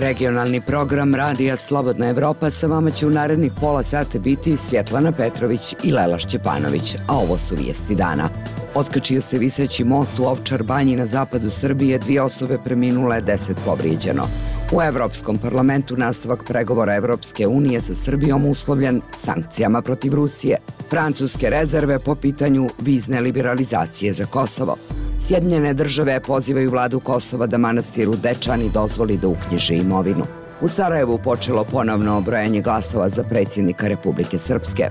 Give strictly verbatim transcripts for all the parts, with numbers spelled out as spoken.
Regionalni program Radija Slobodna Evropa sa vama će u narednih pola sata biti Svjetlana Petrović i Lela Šćepanović, a ovo su vijesti dana. Otkačio se viseći most u Ovčar Banji na zapadu Srbije, dvije osobe preminule, deset povrijeđeno. U Evropskom parlamentu nastavak pregovora Evropske unije sa Srbijom uslovljen sankcijama protiv Rusije. Francuske rezerve po pitanju vizne liberalizacije za Kosovo. Sjedinjene države pozivaju vladu Kosova da manastiru Dečani dozvoli da uknjiži imovinu. U Sarajevu počelo ponovno brojanje glasova za predsjednika Republike Srpske.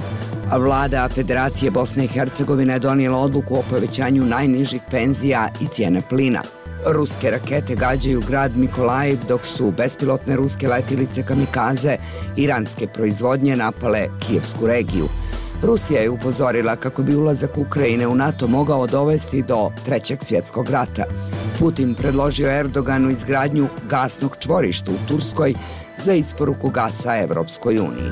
A vlada Federacije Bosne i Hercegovine je donijela odluku o povećanju najnižih penzija i cijene plina. Ruske rakete gađaju grad Mikolajiv, dok su bespilotne ruske letjelice kamikaze iranske proizvodnje napale Kijevsku regiju. Rusija je upozorila kako bi ulazak Ukrajine u NATO mogao dovesti do Trećeg svjetskog rata. Putin predložio Erdoganu izgradnju gasnog čvorišta u Turskoj za isporuku gasa Evropskoj uniji.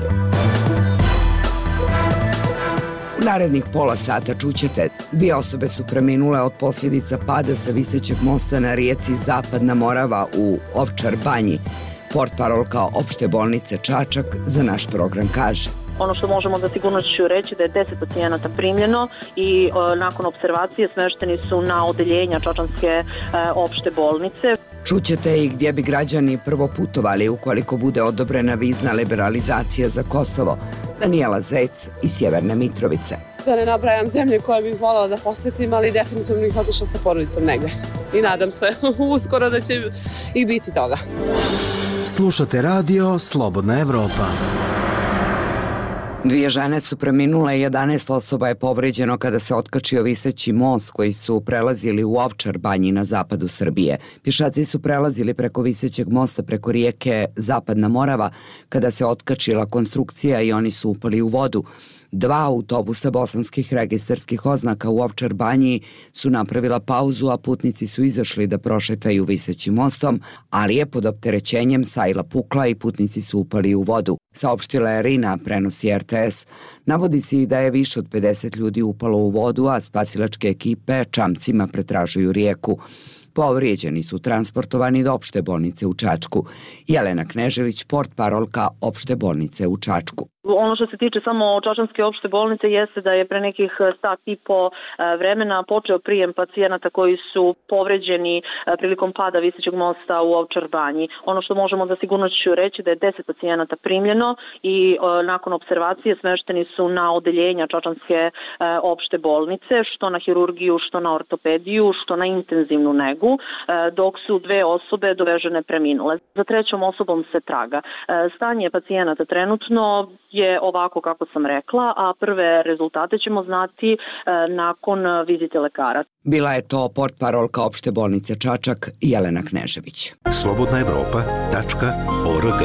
U narednih pola sata čućete, dvije osobe su preminule od posljedica pada sa visećeg mosta na rijeci Zapadna Morava u Ovčar Banji. Portparolka opšte bolnice Čačak za naš program kaže: Ono što možemo da sigurnošću reći da je deset pacijenata primljeno i e, nakon observacije smešteni su na odeljenja Čačanske e, opšte bolnice. Čućete i gdje bi građani prvo putovali ukoliko bude odobrena vizna liberalizacija za Kosovo. Danijela Zec iz Sjeverne Mitrovice. Da ne nabrajam zemlje koje bih voljela da posjetim, ali definitivno bih otišla sa porodicom negdje. I nadam se uskoro da će i biti toga. Slušate radio Slobodna Evropa. Dvije žene su preminule i jedanaest osoba je povrijeđeno kada se otkačio viseći most koji su prelazili u Ovčar Banji na zapadu Srbije. Pješaci su prelazili preko visećeg mosta preko rijeke Zapadna Morava kada se otkačila konstrukcija i oni su upali u vodu. Dva autobusa bosanskih registarskih oznaka u Ovčar Banji su napravila pauzu, a putnici su izašli da prošetaju visećim mostom, ali je pod opterećenjem sajla pukla i putnici su upali u vodu. Saopštila je Rina, prenosi R T S. Navodi se i da je više od pedeset ljudi upalo u vodu, a spasilačke ekipe čamcima pretražuju rijeku. Povrijeđeni su transportovani do opšte bolnice u Čačku. Jelena Knežević, portparolka opšte bolnice u Čačku. Ono što se tiče samo Čačanske opšte bolnice jeste da je pre nekih sat i po vremena počeo prijem pacijenata koji su povređeni prilikom pada visećeg mosta u Ovčar Banji. Ono što možemo da sigurnošću reći da je deset pacijenata primljeno i nakon observacije smešteni su na odeljenja Čačanske opšte bolnice, što na hirurgiju, što na ortopediju, što na intenzivnu negu, dok su dve osobe dovežene preminule. Za trećom osobom se traga. Stanje pacijenata trenutno je ovako kako sam rekla, a prve rezultate ćemo znati e, nakon vizite lekara. Bila je to portparolka opšte bolnice Čačak Jelena Knežević. slobodna evropa tačka org.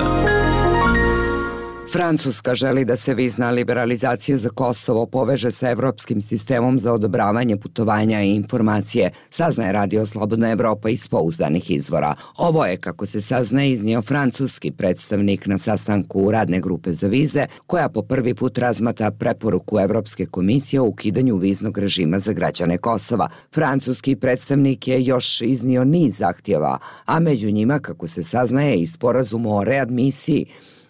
Francuska želi da se vizna liberalizacija za Kosovo poveže sa evropskim sistemom za odobravanje putovanja i informacije, saznaje Radio Slobodna Evropa iz pouzdanih izvora. Ovo je, kako se saznaje, iznio francuski predstavnik na sastanku radne grupe za vize, koja po prvi put razmatra preporuku Evropske komisije o ukidanju viznog režima za građane Kosova. Francuski predstavnik je još iznio niz zahtjeva, a među njima, kako se saznaje, i sporazum o readmisiji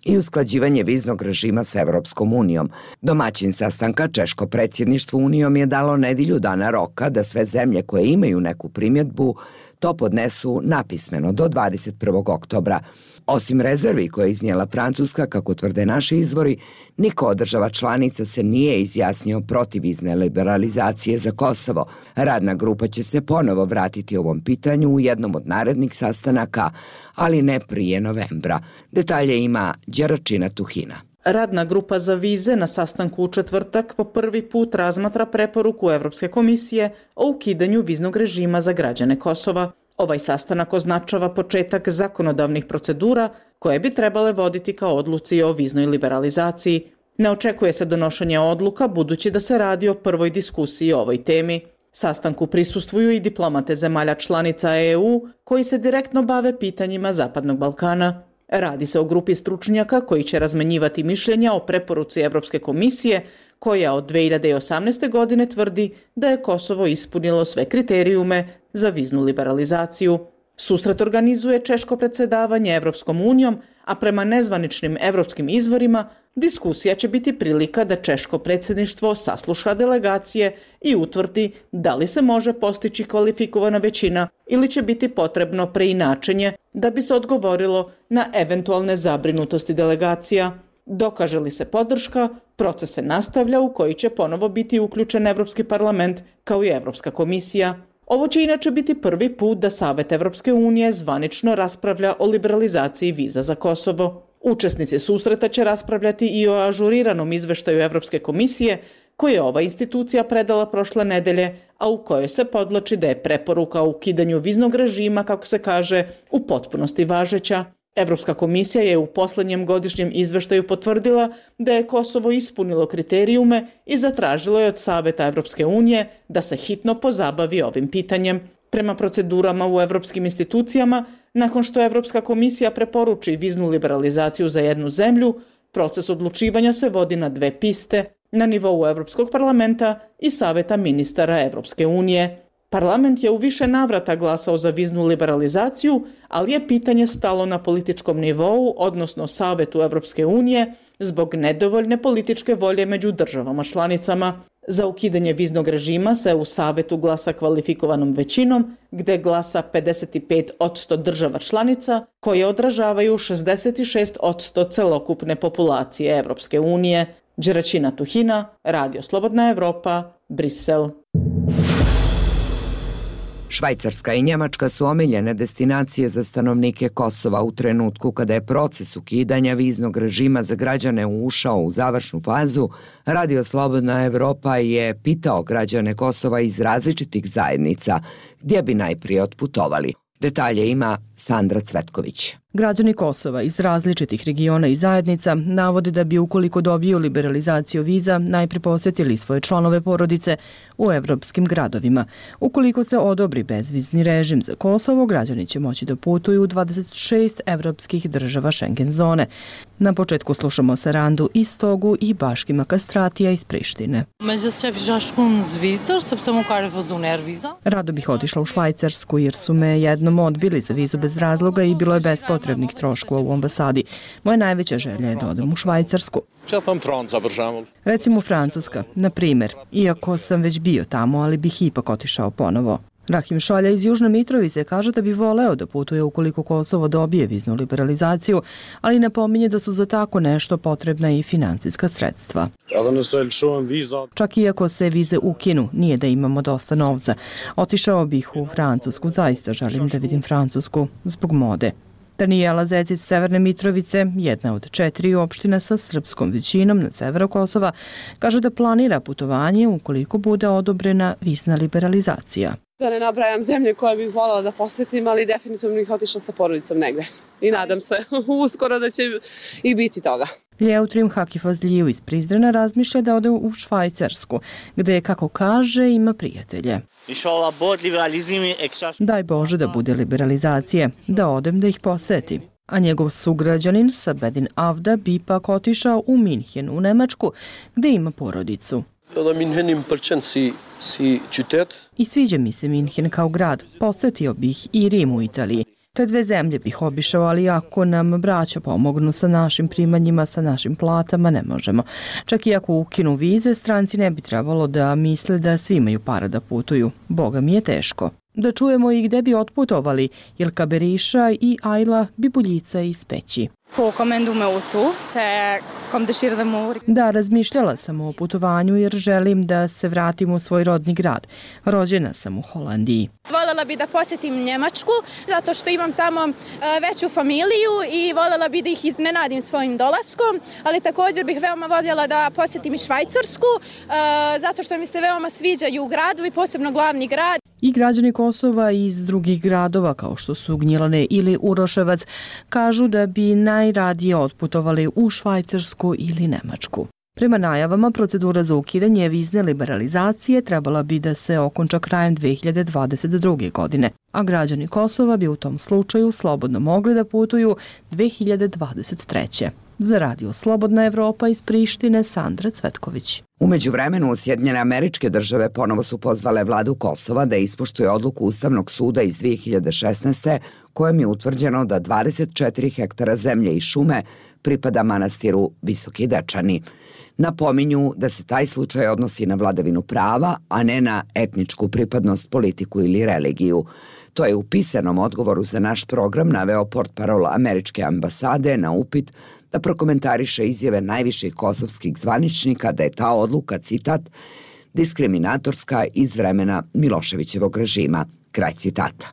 i usklađivanje viznog režima s Evropskom unijom. Domaćin sastanka, češko predsjedništvo unijom, je dalo nedjelju dana roka da sve zemlje koje imaju neku primjedbu to podnesu napismeno do dvadeset prvog oktobra. Osim rezervi koje je iznijela Francuska, kako tvrde naši izvori, niko od država članica se nije izjasnio protiv vizne liberalizacije za Kosovo. Radna grupa će se ponovo vratiti ovom pitanju u jednom od narednih sastanaka, ali ne prije novembra. Detalje ima Đeračina Tuhina. Radna grupa za vize na sastanku u četvrtak po prvi put razmatra preporuku Evropske komisije o ukidanju viznog režima za građane Kosova. Ovaj sastanak označava početak zakonodavnih procedura koje bi trebale voditi kao odluci o viznoj liberalizaciji. Ne očekuje se donošenje odluka budući da se radi o prvoj diskusiji o ovoj temi. Sastanku prisustvuju i diplomate zemalja članica E U koji se direktno bave pitanjima Zapadnog Balkana. Radi se o grupi stručnjaka koji će razmenjivati mišljenja o preporuci Evropske komisije koja od dve hiljade osamnaeste. godine tvrdi da je Kosovo ispunilo sve kriterijume za viznu liberalizaciju. Susret organizuje češko predsjedavanje Evropskom unijom, a prema nezvaničnim evropskim izvorima diskusija će biti prilika da češko predsjedništvo sasluša delegacije i utvrdi da li se može postići kvalifikovana većina ili će biti potrebno preinačenje da bi se odgovorilo na eventualne zabrinutosti delegacija. Dokaže li se podrška, proces se nastavlja u koji će ponovo biti uključen Evropski parlament kao i Evropska komisija. Ovo će inače biti prvi put da Savet Evropske unije zvanično raspravlja o liberalizaciji viza za Kosovo. Učesnici susreta će raspravljati i o ažuriranom izveštaju Evropske komisije koje je ova institucija predala prošle nedelje, a u kojoj se podvlači da je preporuka o ukidanju viznog režima, kako se kaže, u potpunosti važeća. Evropska komisija je u posljednjem godišnjem izveštaju potvrdila da je Kosovo ispunilo kriterijume i zatražilo je od Saveta Evropske unije da se hitno pozabavi ovim pitanjem. Prema procedurama u evropskim institucijama, nakon što Evropska komisija preporuči viznu liberalizaciju za jednu zemlju, proces odlučivanja se vodi na dve piste, na nivou Evropskog parlamenta i Saveta ministara Evropske unije. Parlament je u više navrata glasao za viznu liberalizaciju, ali je pitanje stalo na političkom nivou, odnosno Savetu Evropske unije, zbog nedovoljne političke volje među državama članicama. Za ukidanje viznog režima se u Savetu glasa kvalifikovanom većinom, gde glasa pedeset pet posto država članica, koje odražavaju šezdeset šest posto celokupne populacije Evropske unije. Đeračina Tuhina, Radio Slobodna Evropa, Brisel. Švajcarska i Njemačka su omiljene destinacije za stanovnike Kosova u trenutku kada je proces ukidanja viznog režima za građane ušao u završnu fazu. Radio Slobodna Evropa je pitao građane Kosova iz različitih zajednica gdje bi najprije otputovali. Detalje ima Sandra Cvetković. Građani Kosova iz različitih regiona i zajednica navode da bi ukoliko dobiju liberalizaciju viza najprije posjetili svoje članove porodice u evropskim gradovima. Ukoliko se odobri bezvizni režim za Kosovo, građani će moći da putuju u dvadeset šest evropskih država Schengen zone. Na početku slušamo Sarandu Istogu i Baškima Kastratija iz Prištine. Rado bih otišla u Švajcarsku jer su me jednom odbili za vizu bez razloga i bilo je bez potrebnih troškova u ambasadi. Moja najveća želja je da odem u Švajcarsku. Recimo Francuska, na primjer, iako sam već bio tamo, ali bih ipak otišao ponovo. Rahim Šalja iz Južne Mitrovice kaže da bi voleo da putuje ukoliko Kosovo dobije viznu liberalizaciju, ali napominje da su za tako nešto potrebna i financijska sredstva. Čak i ako se vize ukinu, nije da imamo dosta novca. Otišao bih u Francusku, zaista želim da vidim Francusku, zbog mode. Danijela Zec iz Severne Mitrovice, jedna od četiri opština sa srpskom većinom na severu Kosova, kaže da planira putovanje ukoliko bude odobrena vizna liberalizacija. Da ne nabrajam zemlje koje bih voljela da posjetim, ali definitivno bih otišla sa porodicom negde. I nadam se uskoro da će i biti toga. Ljeutrim Hakifazliju iz Prizrena razmišlja da ode u Švajcarsku, gde, kako kaže, ima prijatelje. Daj Bože da bude liberalizacije, da odem da ih poseti. A njegov sugrađanin Sabedin Avda bi pak otišao u Minhen u Nemačku, gde ima porodicu. I sviđa mi se Minhen kao grad, posetio bih i Rim u Italiji. Te dve zemlje bih obišao, ali ako nam braća pomognu sa našim primanjima, sa našim platama, ne možemo. Čak i ako ukinu vize, stranci ne bi trebalo da misle da svi imaju para da putuju. Boga mi je teško. Da čujemo i gde bi otputovali Ilka Beriša i Ajla Bibuljica iz Peći. Da, razmišljala sam o putovanju jer želim da se vratim u svoj rodni grad. Rođena sam u Holandiji. Voljela bi da posjetim Njemačku zato što imam tamo veću familiju i voljela bi da ih iznenadim svojim dolaskom, ali također bih veoma voljela da posjetim i Švajcarsku zato što mi se veoma sviđaju gradovi, posebno glavni grad. I građani Kosova iz drugih gradova kao što su Gnjilane ili Uroševac kažu da bi najradije otputovali u Švajcarsku ili Nemačku. Prema najavama, procedura za ukidanje vizne liberalizacije trebala bi da se okonča krajem dve hiljade dvadeset druge. godine, a građani Kosova bi u tom slučaju slobodno mogli da putuju dve hiljade dvadeset treće. Za radio Slobodna Evropa iz Prištine, Sandra Cvetković. U međuvremenu, Sjedinjene Američke Države ponovo su pozvale vladu Kosova da ispoštuje odluku Ustavnog suda iz dve hiljade šesnaeste. kojom je utvrđeno da dvadeset četiri hektara zemlje i šume pripada manastiru Visoki Dečani. Napominju da se taj slučaj odnosi na vladavinu prava, a ne na etničku pripadnost, politiku ili religiju. To je u pisanom odgovoru za naš program naveo portparol američke ambasade na upit da prokomentariše izjave najviših kosovskih zvaničnika da je ta odluka, citat, diskriminatorska iz vremena Miloševićevog režima, kraj citata.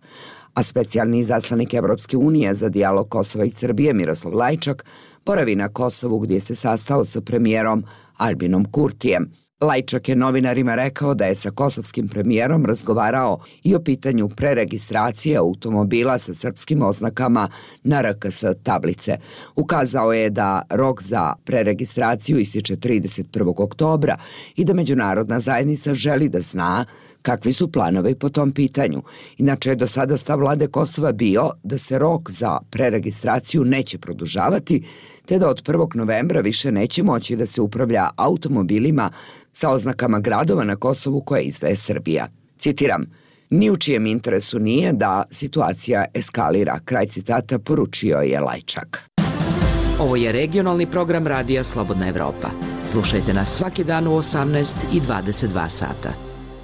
A specijalni izaslanik Evropske unije za dijalog Kosova i Srbije Miroslav Lajčak boravi na Kosovu gdje se sastao sa premijerom Albinom Kurtijem. Lajčak je novinarima rekao da je sa kosovskim premijerom razgovarao i o pitanju preregistracije automobila sa srpskim oznakama na R K S tablice. Ukazao je da rok za preregistraciju ističe trideset prvog oktobra i da međunarodna zajednica želi da zna kakvi su planovi po tom pitanju. Inače je do sada stav vlade Kosova bio da se rok za preregistraciju neće produžavati, te da od prvog novembra više neće moći da se upravlja automobilima sa oznakama gradova na Kosovu koje izdaje Srbija. Citiram, ni u čijem interesu nije da situacija eskalira, kraj citata, poručio je Lajčak. Ovo je regionalni program Radija Slobodna Evropa. Slušajte nas svaki dan u osamnaest i dvadeset dva sata.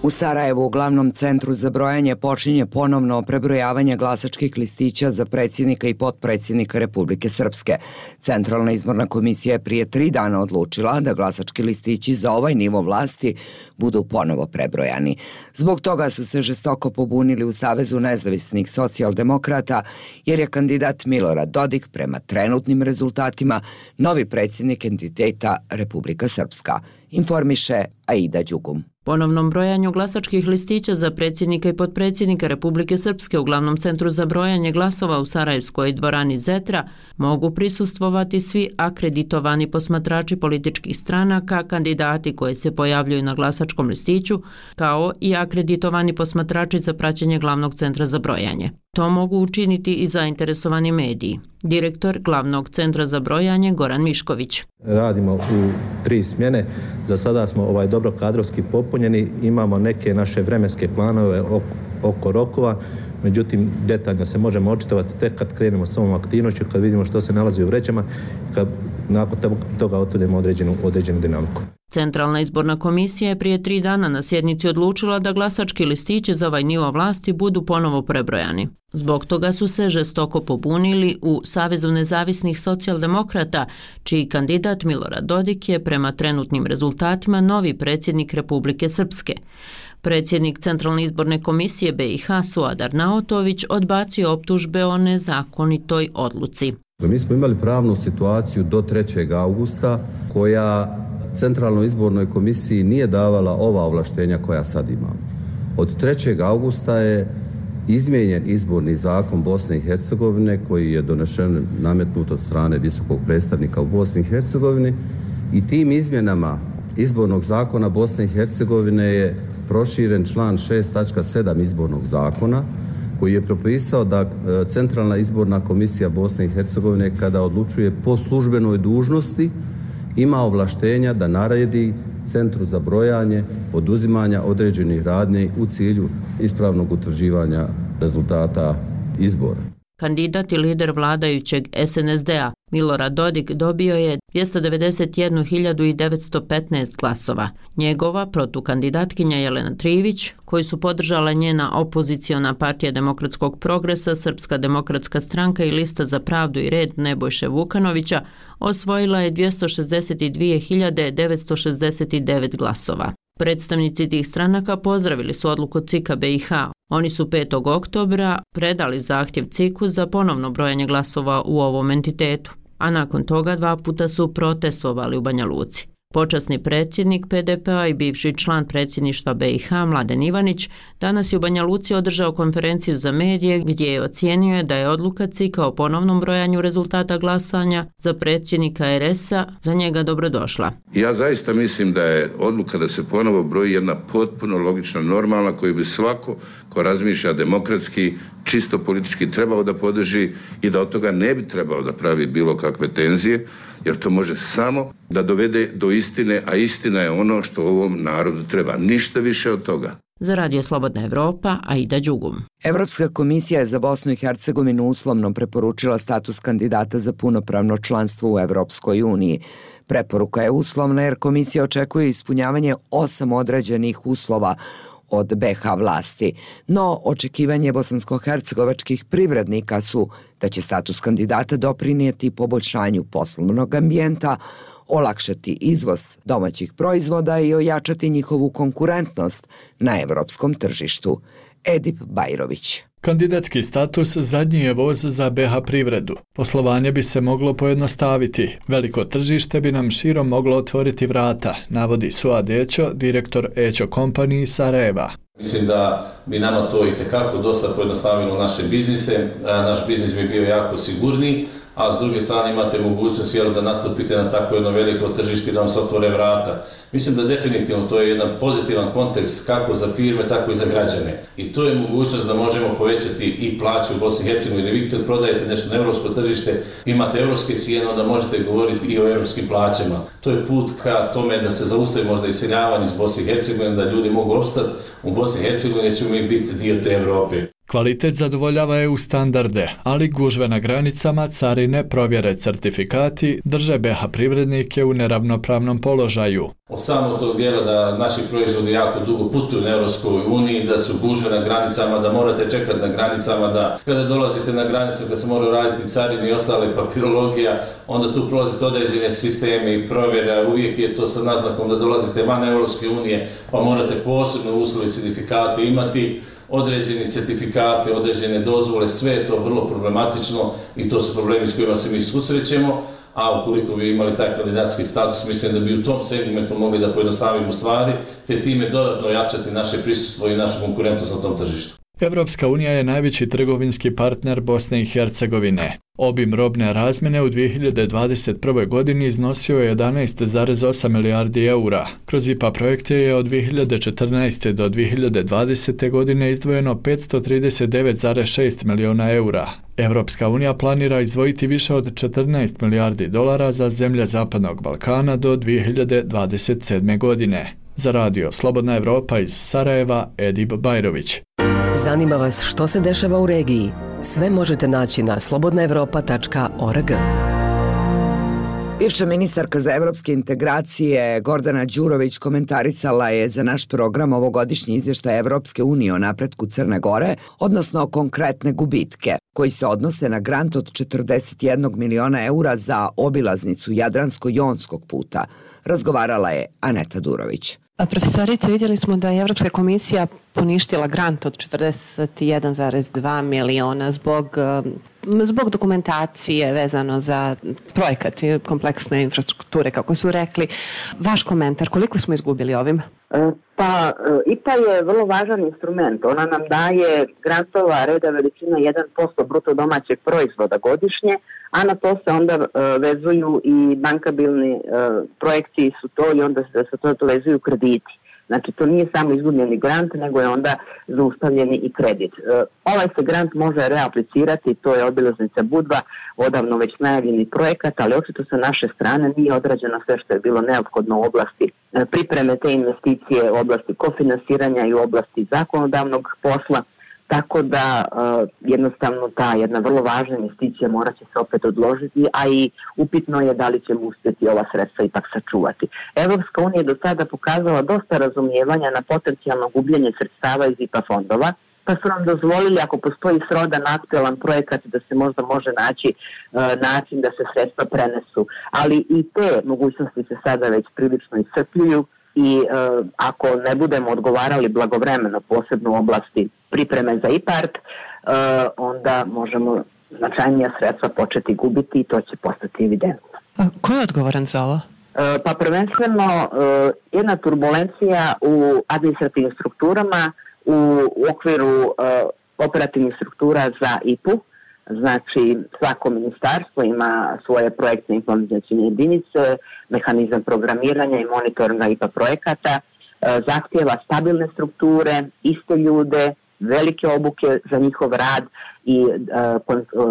U Sarajevu, u glavnom centru za brojanje, počinje ponovno prebrojavanje glasačkih listića za predsjednika i potpredsjednika Republike Srpske. Centralna izborna komisija je prije tri dana odlučila da glasački listići za ovaj nivo vlasti budu ponovo prebrojani. Zbog toga su se žestoko pobunili u Savezu nezavisnih socijaldemokrata, jer je kandidat Milorad Dodik prema trenutnim rezultatima novi predsjednik entiteta Republika Srpska, informiše Aida Đugum. Ponovnom brojanju glasačkih listića za predsjednika i potpredsjednika Republike Srpske u glavnom centru za brojanje glasova u Sarajevskoj dvorani Zetra mogu prisustvovati svi akreditovani posmatrači političkih stranaka, kandidati koji se pojavljuju na glasačkom listiću, kao i akreditovani posmatrači za praćenje glavnog centra za brojanje. To mogu učiniti i zainteresovani mediji. Direktor glavnog centra za brojanje Goran Mišković. Radimo u tri smjene. Za sada smo ovaj dobro kadrovski popunjeni. Imamo neke naše vremenske planove oko rokova. Međutim, detaljno se možemo očitovati tek kad krenemo s ovom aktivnošću, kad vidimo što se nalazi u vrećama i kad nakon toga otvrdimo određenu, određenu dinamiku. Centralna izborna komisija je prije tri dana na sjednici odlučila da glasački listići za ovaj nivo vlasti budu ponovo prebrojani. Zbog toga su se žestoko pobunili u Savezu nezavisnih socijaldemokrata, čiji kandidat Milorad Dodik je prema trenutnim rezultatima novi predsjednik Republike Srpske. Predsjednik Centralne izborne komisije B i H Suadar Naotović odbacio optužbe o nezakonitoj odluci. Mi smo imali pravnu situaciju do trećeg augusta koja Centralnoj izbornoj komisiji nije davala ova ovlaštenja koja sad imamo. Od trećeg augusta je izmijenjen izborni zakon Bosne i Hercegovine koji je donešen, nametnut od strane visokog predstavnika u Bosni i Hercegovini i tim izmjenama izbornog zakona Bosne i Hercegovine je proširen član šest tačka sedam izbornog zakona koji je propisao da Centralna izborna komisija Bosne i Hercegovine kada odlučuje po službenoj dužnosti ima ovlaštenja da naredi centru za brojanje poduzimanja određenih radnji u cilju ispravnog utvrđivanja rezultata izbora. Kandidat i lider vladajućeg S N S D-a Milorad Dodik dobio je dvjesto devedeset jednu hiljadu devetsto petnaest glasova. Njegova protukandidatkinja Jelena Trivić, koju su podržala njena opoziciona partija Demokratskog progresa, Srpska demokratska stranka i Lista za pravdu i red Nebojše Vukanovića, osvojila je dvjesto šezdeset dvije hiljade devetsto šezdeset devet glasova. Predstavnici tih stranaka pozdravili su odluku C I K-a B i H. Oni su petog oktobra predali zahtjev C I K-u za ponovno brojanje glasova u ovom entitetu, a nakon toga dva puta su protestovali u Banja Luci. Počasni predsjednik P D P-a i bivši član predsjedništva B i H Mladen Ivanić danas je u Banja Luci održao konferenciju za medije gdje je ocijenio da je odluka C I K-a o ponovnom brojanju rezultata glasanja za predsjednika R S-a za njega dobrodošla. Ja zaista mislim da je odluka da se ponovo broji jedna potpuno logična, normalna, koju bi svako ko razmišlja demokratski, čisto politički trebao da podrži i da od toga ne bi trebalo da pravi bilo kakve tenzije, jer to može samo da dovede do istine, a istina je ono što ovom narodu treba. Ništa više od toga. Za Radio Slobodna Evropa, Aida Đugum. Evropska komisija je za Bosnu i Hercegovinu uslovno preporučila status kandidata za punopravno članstvo u Evropskoj uniji. Preporuka je uslovna jer komisija očekuje ispunjavanje osam određenih uslova od be ha vlasti, no očekivanje bosansko-hercegovačkih privrednika su da će status kandidata doprinijeti poboljšanju poslovnog ambijenta, olakšati izvoz domaćih proizvoda i ojačati njihovu konkurentnost na evropskom tržištu. Edip Bajrović. Kandidatski status zadnji je voz za be ha privredu. Poslovanje bi se moglo pojednostaviti. Veliko tržište bi nam širom moglo otvoriti vrata, navodi Suad Ećo, direktor Ećo Company iz Sarajeva. Mislim da bi nama to itekako dosta pojednostavilo naše biznise, naš biznis bi bio jako sigurniji, a s druge strane imate mogućnost jel, da nastupite na tako jedno veliko tržište i da vam se otvore vrata. Mislim da definitivno to je jedan pozitivan kontekst kako za firme, tako i za građane. I to je mogućnost da možemo povećati i plaće u Bosni i Hercegovini. Vi kad prodajete nešto na evropsko tržište, imate evropske cijene, onda možete govoriti i o evropskim plaćama. To je put ka tome da se zaustavi možda iseljavanje iz Bosne i Hercegovine, da ljudi mogu opstati u Bosni i Hercegovini, ćemo mi biti dio te Evrope. Kvalitet zadovoljava e u standarde, ali gužve na granicama, carine, provjere, certifikati drže be ha privrednike u neravnopravnom položaju. Od samog tog dijela da naši proizvodi jako dugo putuju na Europskoj uniji, da su gužve na granicama, da morate čekati na granicama, da kada dolazite na granicu, kada se moraju raditi carini i ostale papirologija, onda tu prolazite određene sisteme i provjera, uvijek je to sa naznakom da dolazite van Europske unije, pa morate posebno uslovi certifikate imati, određeni certifikate, određene dozvole, sve je to vrlo problematično i to su problemi s kojima se mi susrećemo, a ukoliko bi imali taj kandidatski status, mislim da bi u tom segmentu mogli da pojednostavimo stvari, te time dodatno jačati naše prisustvo i našu konkurentnost na tom tržištu. Evropska unija je najveći trgovinski partner Bosne i Hercegovine. Obim robne razmjene u dvije hiljade dvadeset prve. godini iznosio je jedanaest zarez osam milijardi eura. Kroz I P A projekte je od dvije hiljade četrnaeste. do dvije hiljade dvadesete. godine izdvojeno petsto trideset devet zarez šest miliona eura. Evropska unija planira izdvojiti više od četrnaest milijardi dolara za zemlje Zapadnog Balkana do dvije hiljade dvadeset sedme. godine. Za Radio Slobodna Evropa iz Sarajeva, Edip Bajrović. Zanima vas što se dešava u regiji? Sve možete naći na slobodna evropa tačka org. Bivša ministarka za evropske integracije Gordana Đurović komentarisala je za naš program ovogodišnji izvještaj Evropske unije o napretku Crne Gore, odnosno konkretne gubitke, koji se odnose na grant od četrdeset jedan miliona eura za obilaznicu Jadransko-Jonskog puta. Razgovarala je Aneta Durović. Profesorice, vidjeli smo da je Evropska komisija poništila grant od četrdeset jedan zarez dva miliona zbog, zbog dokumentacije vezano za projekat i kompleksne infrastrukture, kako su rekli. Vaš komentar, koliko smo izgubili ovim? Pa, I P A je vrlo važan instrument. Ona nam daje grantova reda veličina jedan posto bruto domaćeg proizvoda godišnje, a na to se onda uh, vezuju i bankabilni uh, projekti su to i onda se sa to, to vezuju krediti. Znači, to nije samo izgubljeni grant, nego je onda zaustavljeni i kredit. Uh, ovaj se grant može reaplicirati, to je obilaznica Budva, odavno već najavljeni projekat, ali očito sa naše strane nije odrađeno sve što je bilo neophodno u oblasti uh, pripreme te investicije, u oblasti kofinansiranja i u oblasti zakonodavnog posla. Tako da uh, jednostavno ta jedna vrlo važna investicija morat će se opet odložiti, a i upitno je da li ćemo uspjeti ova sredstva ipak sačuvati. Evropska unija je do sada pokazala dosta razumijevanja na potencijalno gubljenje sredstava iz I P A fondova, pa su nam dozvolili ako postoji srodan aktualan projekat da se možda može naći uh, način da se sredstva prenesu. Ali i te mogućnosti se sada već prilično iscrpljuju i uh, ako ne budemo odgovarali blagovremeno, posebno u oblasti pripreme za I P A R T, uh, onda možemo značajnija sredstva početi gubiti i to će postati evidentno. A ko je odgovoran za ovo? Uh, pa prvenstveno uh, jedna turbulencija u administrativnim strukturama u, u okviru uh, operativnih struktura za I P U. Znači, svako ministarstvo ima svoje projektne implementacijne jedinice, mehanizam programiranja i monitoringa I P A projekata, zahtijeva stabilne strukture, iste ljude velike obuke za njihov rad i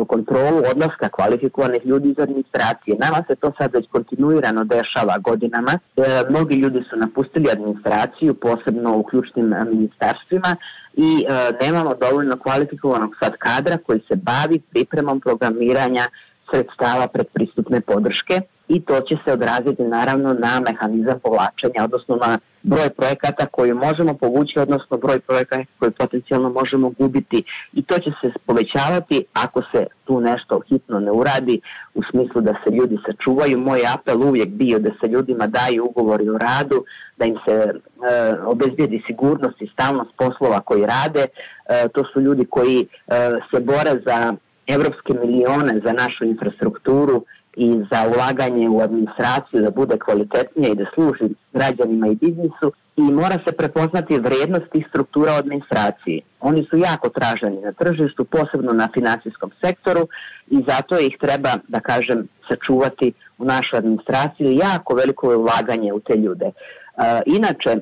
kontrolu odlaska kvalifikovanih ljudi iz administracije. Nama se to sad već kontinuirano dešava godinama. Mnogi ljudi su napustili administraciju, posebno u ključnim ministarstvima, i nemamo dovoljno kvalifikovanog sad kadra koji se bavi pripremom programiranja sredstava predpristupne podrške, i to će se odraziti naravno na mehanizam povlačenja, odnosno na broj projekata koji možemo povući, odnosno broj projekata koji potencijalno možemo gubiti, i to će se povećavati ako se tu nešto hitno ne uradi, u smislu da se ljudi sačuvaju. Moj apel uvijek bio da se ljudima daju ugovori o radu, da im se e, obezbijedi sigurnost i stalnost poslova koji rade. E, to su ljudi koji e, se bore za evropske milione za našu infrastrukturu i za ulaganje u administraciju da bude kvalitetnija i da služi građanima i biznisu, i mora se prepoznati vrednost tih struktura u administraciji. Oni su jako traženi na tržištu, posebno na finansijskom sektoru, i zato ih treba, da kažem, sačuvati u našoj administraciji. Jako veliko je ulaganje u te ljude. E, inače,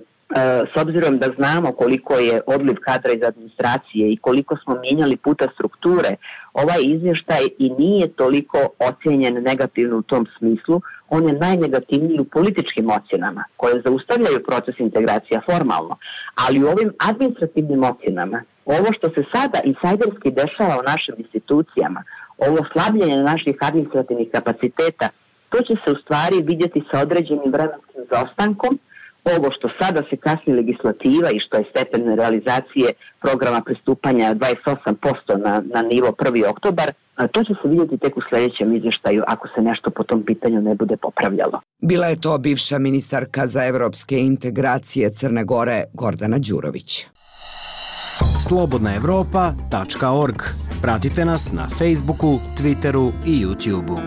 s obzirom da znamo koliko je odliv kadra iz administracije i koliko smo mijenjali puta strukture, ovaj izvještaj i nije toliko ocijenjen negativno u tom smislu. On je najnegativniji u političkim ocjenama koje zaustavljaju proces integracija formalno, ali u ovim administrativnim ocjenama, ovo što se sada insajderski dešava u našim institucijama, ovo slabljenje naših administrativnih kapaciteta, to će se u stvari vidjeti sa određenim vremenskim zaostankom. Ovo što sada se kasni legislativa i što je stepen realizacije programa pristupanja dvadeset osam posto na, na nivo prvi oktobar, to će se vidjeti tek u sljedećem izvještaju ako se nešto po tom pitanju ne bude popravljalo. Bila je to bivša ministarka za evropske integracije Crne Gore Gordana Đurović. slobodna evropa tačka org. Pratite nas na Facebooku, Twitteru i YouTubeu.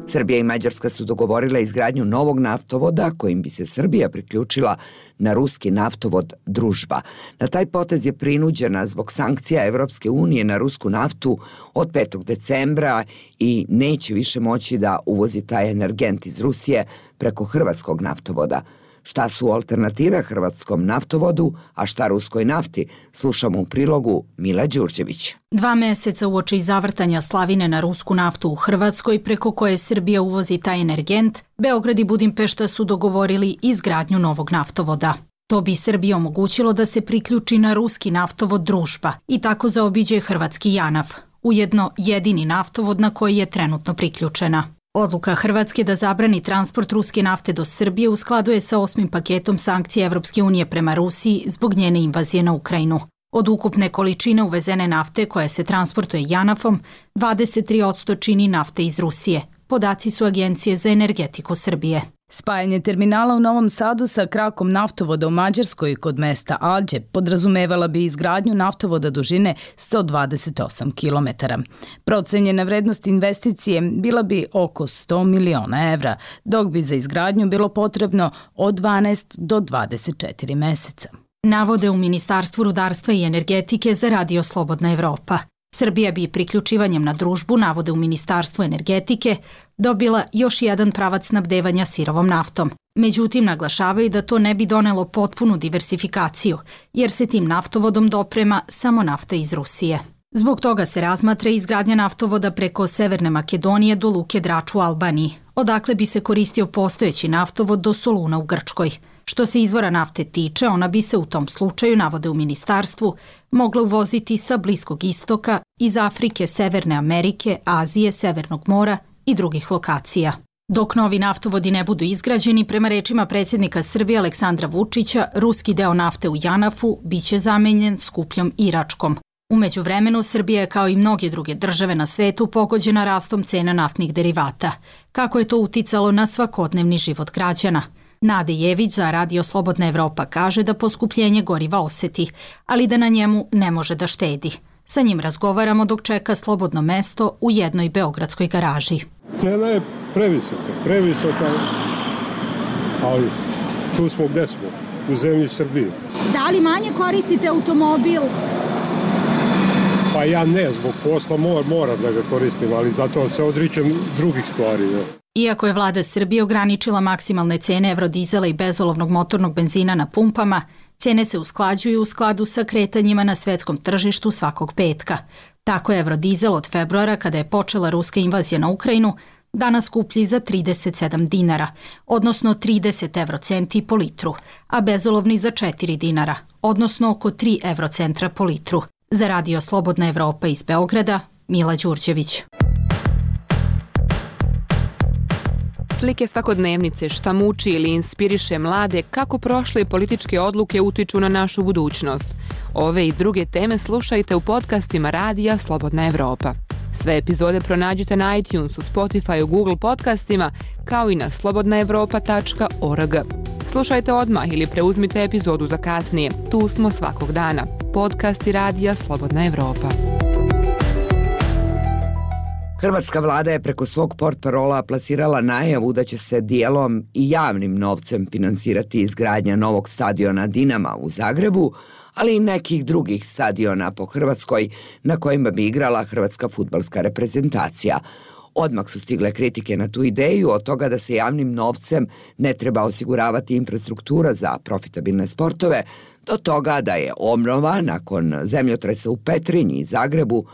Srbija i Mađarska su dogovorile izgradnju novog naftovoda kojim bi se Srbija priključila na ruski naftovod Družba. Na taj potez je prinuđena zbog sankcija Evropske unije na rusku naftu od petog decembra i neće više moći da uvozi taj energent iz Rusije preko hrvatskog naftovoda. Šta su alternative hrvatskom naftovodu, a šta ruskoj nafti, slušamo u prilogu Mila Đurđević. Dva meseca uoči zavrtanja slavine na rusku naftu u Hrvatskoj, preko koje Srbija uvozi taj energent, Beograd i Budimpešta su dogovorili izgradnju novog naftovoda. To bi Srbiji omogućilo da se priključi na ruski naftovod Družba i tako zaobiđe hrvatski JANAF, ujedno jedini naftovod na koji je trenutno priključena. Odluka Hrvatske da zabrani transport ruske nafte do Srbije u skladu je sa osmim paketom sankcija Evropske unije prema Rusiji zbog njene invazije na Ukrajinu. Od ukupne količine uvezene nafte koja se transportuje JANAF-om, dvadeset tri posto čini nafte iz Rusije. Podaci su Agencije za energetiku Srbije. Spajanje terminala u Novom Sadu sa krakom naftovoda u Mađarskoj kod mesta Alđe podrazumevala bi izgradnju naftovoda dužine sto dvadeset osam kilometara. Procenjena vrednost investicije bila bi oko sto miliona evra, dok bi za izgradnju bilo potrebno od dvanaest do dvadeset četiri meseca. Navode u Ministarstvu rudarstva i energetike za Radio Slobodna Evropa. Srbija bi priključivanjem na Družbu, navode u Ministarstvu energetike, dobila još jedan pravac snabdevanja sirovom naftom. Međutim, naglašavaju da to ne bi donelo potpunu diversifikaciju, jer se tim naftovodom doprema samo nafta iz Rusije. Zbog toga se razmatra izgradnja naftovoda preko Severne Makedonije do luke Drač u Albaniji, odakle bi se koristio postojeći naftovod do Soluna u Grčkoj. Što se izvora nafte tiče, ona bi se u tom slučaju, navode u ministarstvu, mogla uvoziti sa Bliskog istoka, iz Afrike, Severne Amerike, Azije, Severnog mora i drugih lokacija. Dok novi naftovodi ne budu izgrađeni, prema rečima predsjednika Srbije Aleksandra Vučića, ruski deo nafte u JANAF-u biće zamenjen skupljom iračkom. U međuvremenu, Srbija je kao i mnoge druge države na svetu pogođena rastom cena naftnih derivata. Kako je to uticalo na svakodnevni život građana? Nade Jević za Radio Slobodna Evropa kaže da poskupljenje goriva oseti, ali da na njemu ne može da štedi. Sa njim razgovaramo dok čeka slobodno mesto u jednoj beogradskoj garaži. Cena je previsoka, previsoka, ali tu smo gde smo, u zemlji Srbije. Da li manje koristite automobil? Pa ja ne, zbog posla mor, moram da ga koristim, ali zato se odričem drugih stvari. Ne? Iako je vlada Srbije ograničila maksimalne cene evrodizela i bezolovnog motornog benzina na pumpama, Cijene se usklađuju u skladu sa kretanjima na svetskom tržištu svakog petka. Tako je evrodizel od februara, kada je počela ruska invazija na Ukrajinu, danas skuplji za trideset sedam dinara, odnosno trideset evrocenti po litru, a bezolovni za četiri dinara, odnosno oko tri evrocentra po litru. Za Radio Slobodna Evropa iz Beograda, Mila Đurđević. Slike svakodnevnice, šta muči ili inspiriše mlade, kako prošle političke odluke utiču na našu budućnost. Ove i druge teme slušajte u podcastima Radija Slobodna Evropa. Sve epizode pronađite na iTunesu, Spotifyu, Google podcastima, kao i na slobodna evropa tačka org. Slušajte odmah ili preuzmite epizodu za kasnije. Tu smo svakog dana. Podcasti Radija Slobodna Evropa. Hrvatska vlada je preko svog portparola plasirala najavu da će se dijelom i javnim novcem finansirati izgradnja novog stadiona Dinama u Zagrebu, ali i nekih drugih stadiona po Hrvatskoj na kojima bi igrala hrvatska fudbalska reprezentacija. Odmah su stigle kritike na tu ideju, od toga da se javnim novcem ne treba osiguravati infrastruktura za profitabilne sportove, do toga da je obnova nakon zemljotresa u Petrinji i Zagrebu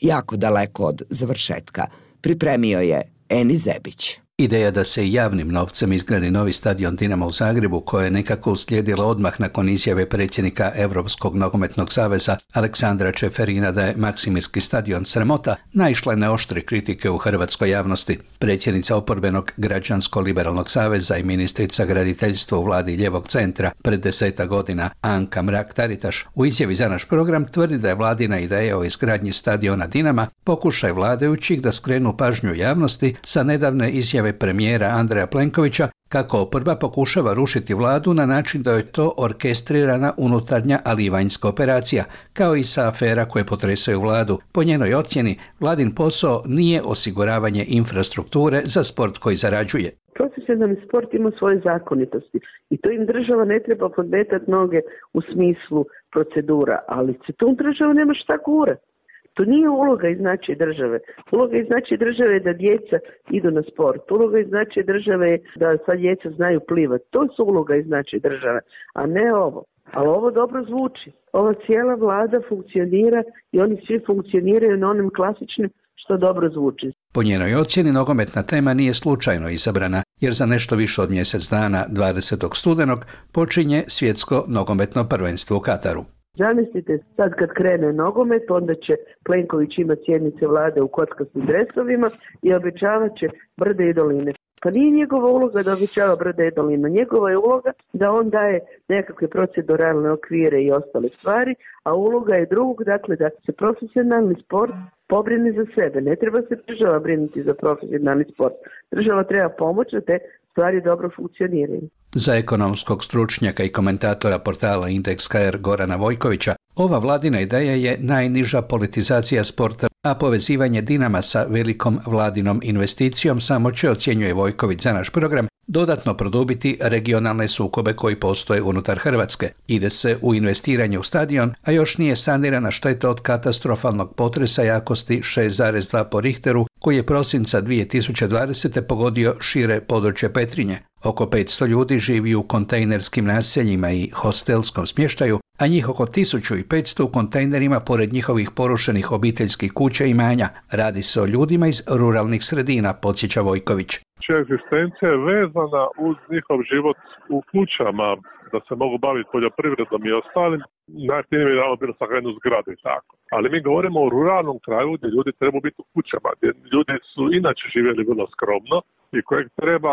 jako daleko od završetka. Pripremio je Eni Zebić. Ideja da se javnim novcem izgradi novi stadion Dinama u Zagrebu, koja je nekako uslijedila odmah nakon izjave predsjednika Europskog nogometnog saveza Aleksandra Čeferina da je Maksimirski stadion sramota, naišla je na oštre kritike u hrvatskoj javnosti. Predsjednica oporbenog Građansko-liberalnog saveza i ministrica graditeljstva u vladi Ljevog centra pred deseta godina Anka Mrak-Taritaš u izjavi za naš program tvrdi da je vladina ideja o izgradnji stadiona Dinama pokušaj vladajućih da skrenu pažnju javnosti sa nedavne izjave premijera Andreja Plenkovića kako oporba pokušava rušiti vladu na način da je to orkestrirana unutarnja, ali i vanjska operacija, kao i sa afera koje potresaju vladu. Po njenoj ocjeni, vladin posao nije osiguravanje infrastrukture za sport koji zarađuje. Profesionalni sport ima svoje zakonitosti i to im država ne treba podmetati noge u smislu procedura, ali se tu država nema šta gurati. To nije uloga i značaj države. Uloga i značaj države je da djeca idu na sport. Uloga i značaj države je da sva djeca znaju plivati. To su uloga i značaj države, a ne ovo. Ali ovo dobro zvuči. Ova cijela vlada funkcionira i oni svi funkcioniraju na onim klasičnim što dobro zvuči. Po njenoj ocjeni nogometna tema nije slučajno izabrana, jer za nešto više od mjesec dana, dvadesetog studenog, počinje svjetsko nogometno prvenstvo u Kataru. Zamislite, sad kad krene nogomet, onda će Plenković imati sjednice vlade u kockastim dresovima i obećavat će brde i doline. Pa nije njegova uloga da obećava brde i doline. Njegova je uloga da on daje nekakve proceduralne okvire i ostale stvari, a uloga je drugog, dakle da se profesionalni sport pobrini za sebe. Ne treba se država brinuti za profesionalni sport. Država treba pomoći da te stvari dobro funkcioniraju. Za ekonomskog stručnjaka i komentatora portala Indeks ka er Gorana Vojkovića, ova vladina ideja je najniža politizacija sporta, a povezivanje Dinama sa velikom vladinom investicijom samo će, ocjenjuje Vojković za naš program, dodatno produbiti regionalne sukobe koji postoje unutar Hrvatske. Ide se u investiranje u stadion, a još nije sanirana šteta od katastrofalnog potresa jakosti šest zarez dva po Richteru, koji je prosinca dvije tisuće dvadesete pogodio šire područje Petrinje. Oko petsto ljudi živi u kontejnerskim naseljima i hostelskom smještaju, a njih oko tisuću petsto u kontejnerima pored njihovih porušenih obiteljskih kuća i imanja. Radi se o ljudima iz ruralnih sredina, podsjeća Vojković. Egzistencija je vezana uz njihov život u kućama, da se mogu baviti poljoprivredom i ostalim. Najjeftinije bi dalo bilo sahranu zgrade i tako. Ali mi govorimo o ruralnom kraju gdje ljudi trebaju biti u kućama, gdje ljudi su inače živjeli vrlo skromno i kojeg treba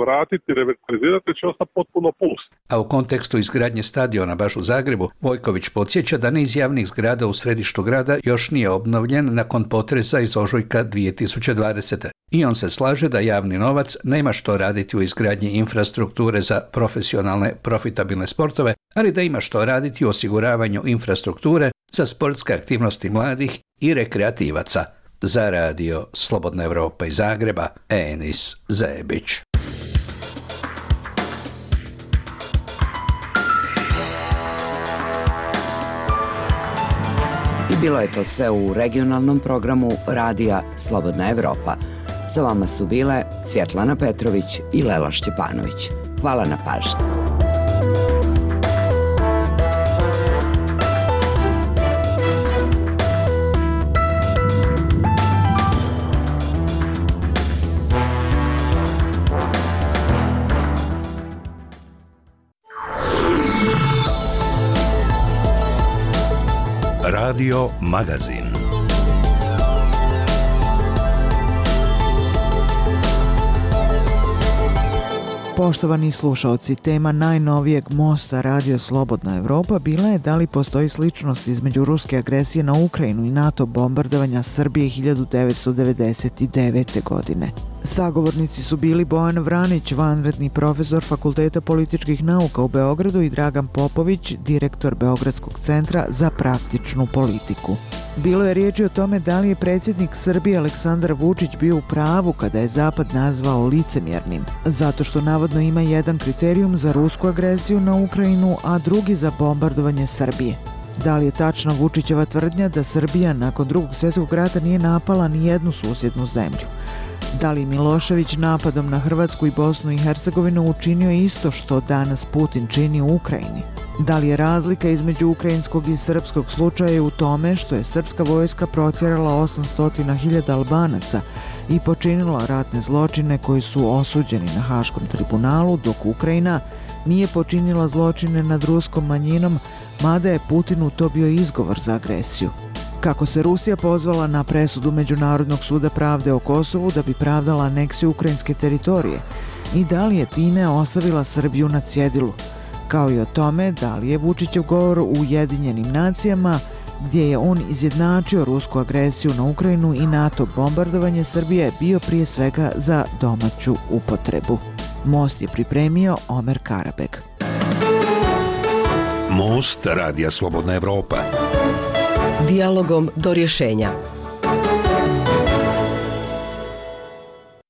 vratiti, revitalizirati, će ostati potpuno pust. A u kontekstu izgradnje stadiona baš u Zagrebu, Vojković podsjeća da niz javnih zgrada u središtu grada još nije obnovljen nakon potresa iz ožujka dvije tisuće dvadesete. I on se slaže da javni novac nema što raditi u izgradnji infrastrukture za profesionalne, profitabilne sportove, ali da ima što raditi u osiguravanju infrastrukture za sportske aktivnosti mladih i rekreativaca. Za radio Slobodna Evropa iz Zagreba, Enis Zebić. I bilo je to sve u regionalnom programu Radija Slobodna Evropa. Sa vama su bile Svjetlana Petrović i Lela Šćepanović. Hvala na pažnji. Radio Magazin. Poštovani slušaoci, tema najnovijeg mosta Radio Slobodna Evropa bila je da li postoji sličnost između ruske agresije na Ukrajinu i NATO bombardovanja Srbije hiljadu devetsto devedeset devete. godine. Sagovornici su bili Bojan Vranić, vanredni profesor Fakulteta političkih nauka u Beogradu, i Dragan Popović, direktor Beogradskog centra za praktičnu politiku. Bilo je riječi o tome da li je predsjednik Srbije Aleksandar Vučić bio u pravu kada je Zapad nazvao licemjernim, zato što navodno ima jedan kriterijum za rusku agresiju na Ukrajinu, a drugi za bombardovanje Srbije. Da li je tačna Vučićeva tvrdnja da Srbija nakon drugog svjetskog rata nije napala ni jednu susjednu zemlju? Da li Milošević napadom na Hrvatsku i Bosnu i Hercegovinu učinio isto što danas Putin čini u Ukrajini? Da li je razlika između ukrajinskog i srpskog slučaja u tome što je srpska vojska protjerala osamsto hiljada Albanaca i počinila ratne zločine koji su osuđeni na Haškom tribunalu, dok Ukrajina nije počinila zločine nad ruskom manjinom, mada je Putinu to bio izgovor za agresiju? Kako se Rusija pozvala na presudu Međunarodnog suda pravde o Kosovu da bi pravdala aneksiju ukrajinske teritorije i da li je time ostavila Srbiju na cjedilu, kao i o tome da li je Vučićev govor u Ujedinjenim nacijama, gdje je on izjednačio rusku agresiju na Ukrajinu i NATO bombardovanje Srbije, bio prije svega za domaću upotrebu. Most je pripremio Omer Karabeg. Most Radija Slobodna Evropa. Dijalogom do rješenja.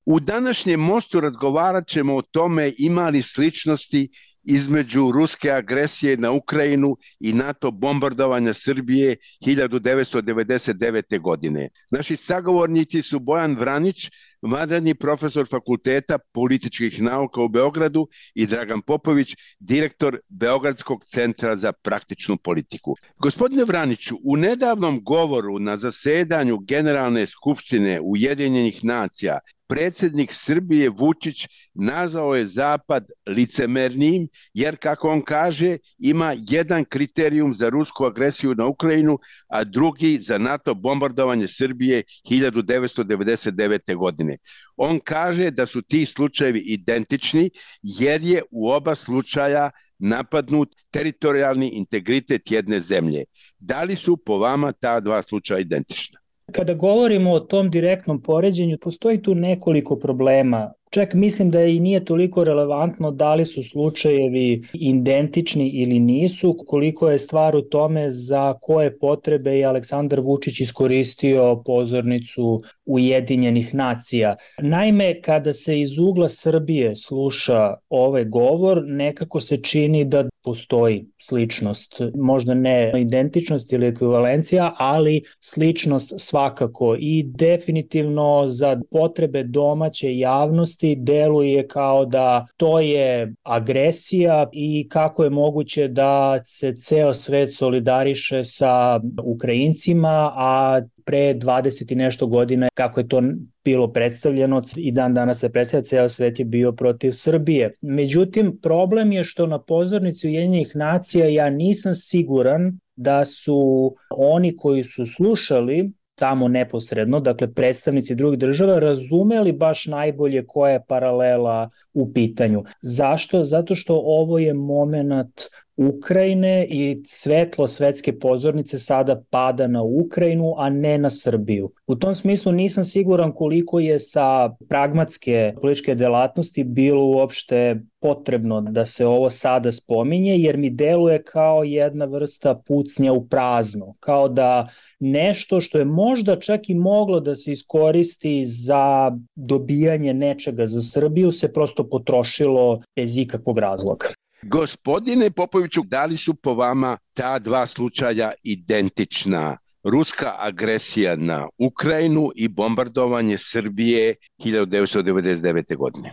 U današnjem mostu razgovarat ćemo o tome ima li sličnosti između ruske agresije na Ukrajinu i NATO bombardovanja Srbije hiljadu devetsto devedeset devete. godine. Naši sagovornici su Bojan Vranić, vanredni profesor Fakulteta političkih nauka u Beogradu, i Dragan Popović, direktor Beogradskog centra za praktičnu politiku. Gospodine Vraniću, u nedavnom govoru na zasedanju Generalne skupštine Ujedinjenih nacija predsjednik Srbije Vučić nazvao je Zapad licemernim, jer, kako on kaže, ima jedan kriterijum za rusku agresiju na Ukrajinu, a drugi za NATO bombardovanje Srbije hiljadu devetsto devedeset devete. godine. On kaže da su ti slučajevi identični, jer je u oba slučaja napadnut teritorijalni integritet jedne zemlje. Da li su po vama ta dva slučaja identična? Kada govorimo o tom direktnom poređenju, postoji tu nekoliko problema. Čak mislim da i nije toliko relevantno da li su slučajevi identični ili nisu, koliko je stvar u tome za koje potrebe je Aleksandar Vučić iskoristio pozornicu Ujedinjenih nacija. Naime, kada se iz ugla Srbije sluša ovaj govor, nekako se čini da postoji sličnost, možda ne identičnost ili ekvivalencija, ali sličnost svakako, i definitivno za potrebe domaće javnosti deluje kao da to je agresija i kako je moguće da se ceo svet solidariše sa Ukrajincima, a pre dvadeset i nešto godina, kako je to bilo predstavljeno, i dan danas se predstavlja, ceo svet je bio protiv Srbije. Međutim, problem je što na pozornici Ujedinjenih nacija ja nisam siguran da su oni koji su slušali tamo neposredno, dakle predstavnici drugih država, razumeli baš najbolje koja je paralela u pitanju. Zašto? Zato što ovo je moment Ukrajine i svetlo svetske pozornice sada pada na Ukrajinu, a ne na Srbiju. U tom smislu nisam siguran koliko je sa pragmatske političke delatnosti bilo uopšte potrebno da se ovo sada spominje, jer mi deluje kao jedna vrsta pucnja u prazno, kao da nešto što je možda čak i moglo da se iskoristi za dobijanje nečega za Srbiju se prosto potrošilo bez ikakvog razloga. Gospodine Popoviću, da li su po vama ta dva slučaja identična? Ruska agresija na Ukrajinu i bombardovanje Srbije hiljadu devetsto devedeset devete. godine.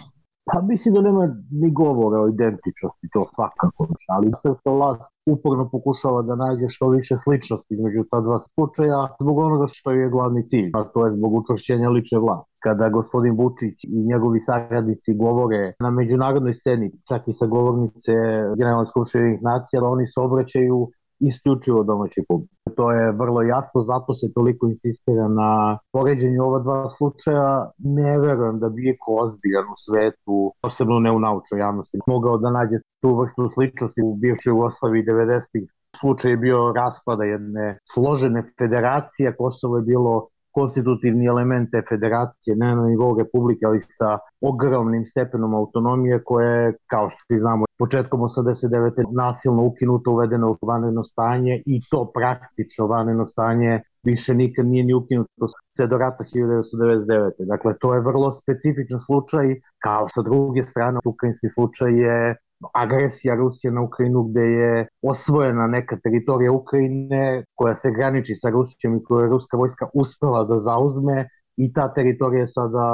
Pa mislim da nema ni govora o identičnosti, to svakako, ali srpska vlast uporno pokušava da nađe što više sličnosti između ta dva slučaja zbog onoga što je glavni cilj, a to je zbog učvršćenja lične vlasti. Kada gospodin Vučić i njegovi saradnici govore na međunarodnoj sceni, čak i sa govornice Generalne skupštine Ujedinjenih nacija, oni se obraćaju isključivo domaći publici. To je vrlo jasno, zato se toliko insistira na poređenju ova dva slučaja. Ne verujem da bi iko ozbiljan u svetu, posebno ne u naučnoj javnosti, mogao da nađe tu vrstu sličnosti u bivšoj Jugoslaviji devedesetih. Slučaj je bio raspada jedne složene federacije, Kosovo je bilo konstitutivni element te federacije, ne na nivou republike, ali sa ogromnim stepenom autonomije koje je, kao što svi znamo, početkom osamdeset devete nasilno ukinuto, uvedeno u vanredno stanje i to praktično vanredno stanje više nikad nije ni ukinuto sve do rata hiljadu devetsto devedeset devete. Dakle, to je vrlo specifičan slučaj, kao sa druge strane, ukrajinski slučaj je agresija Rusije na Ukrajinu gde je osvojena neka teritorija Ukrajine koja se graniči sa Rusijom i koju je ruska vojska uspela da zauzme i ta teritorija je sada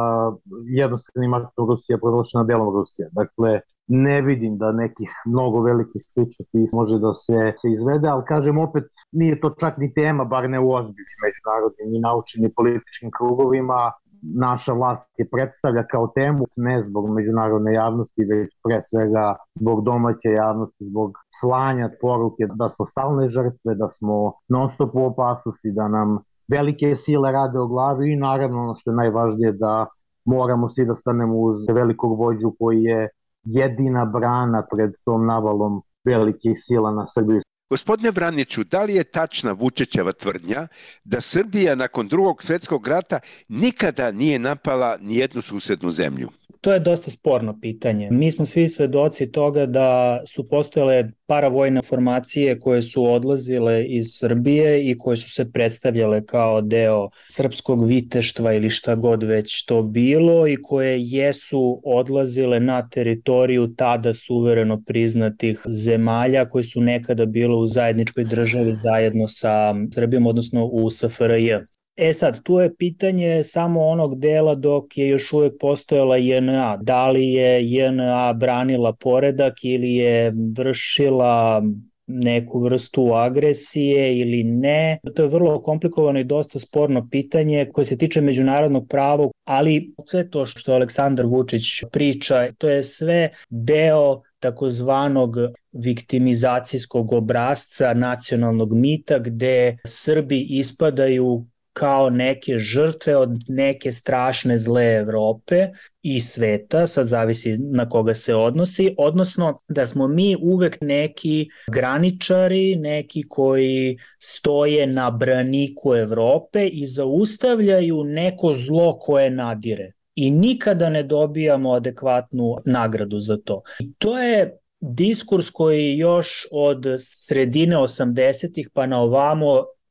jednostavnim aktom Rusija proglašena delom Rusije. Dakle, ne vidim da nekih mnogo velikih sličnosti može da se, se izvede, ali kažem opet, nije to čak ni tema, bar ne u ozbiljnim međunarodnim i naučnim i političkim krugovima. Naša vlast je predstavlja kao temu ne zbog međunarodne javnosti, već pre svega zbog domaće javnosti, zbog slanja poruke da smo stalne žrtve, da smo non stop u opasnosti, da nam velike sile rade o glavi i naravno ono što je najvažnije da moramo svi da stanemo uz velikog vođu koji je jedina brana pred tom navalom velikih sila na Srbiju. Gospodine Vraniću, da li je tačna Vučićeva tvrdnja da Srbija nakon drugog svjetskog rata nikada nije napala ni jednu susednu zemlju? To je dosta sporno pitanje. Mi smo svi svedoci toga da su postojale paravojne formacije koje su odlazile iz Srbije i koje su se predstavljale kao deo srpskog viteštva ili šta god već to bilo i koje jesu odlazile na teritoriju tada suvereno priznatih zemalja koje su nekada bile u zajedničkoj državi zajedno sa Srbijom, odnosno u S F R J. E sad, tu je pitanje samo onog dela dok je još uvijek postojala J N A. Da li je J N A branila poredak ili je vršila neku vrstu agresije ili ne. To je vrlo komplikovano i dosta sporno pitanje koje se tiče međunarodnog prava, ali sve to što Aleksandar Vučić priča, to je sve deo takozvanog viktimizacijskog obrasca nacionalnog mita gde Srbi ispadaju kao neke žrtve od neke strašne zle Evrope i sveta, sad zavisi na koga se odnosi, odnosno da smo mi uvek neki graničari, neki koji stoje na braniku Evrope i zaustavljaju neko zlo koje nadire. I nikada ne dobijamo adekvatnu nagradu za to. I to je diskurs koji još od sredine osamdesetih pa na ovamo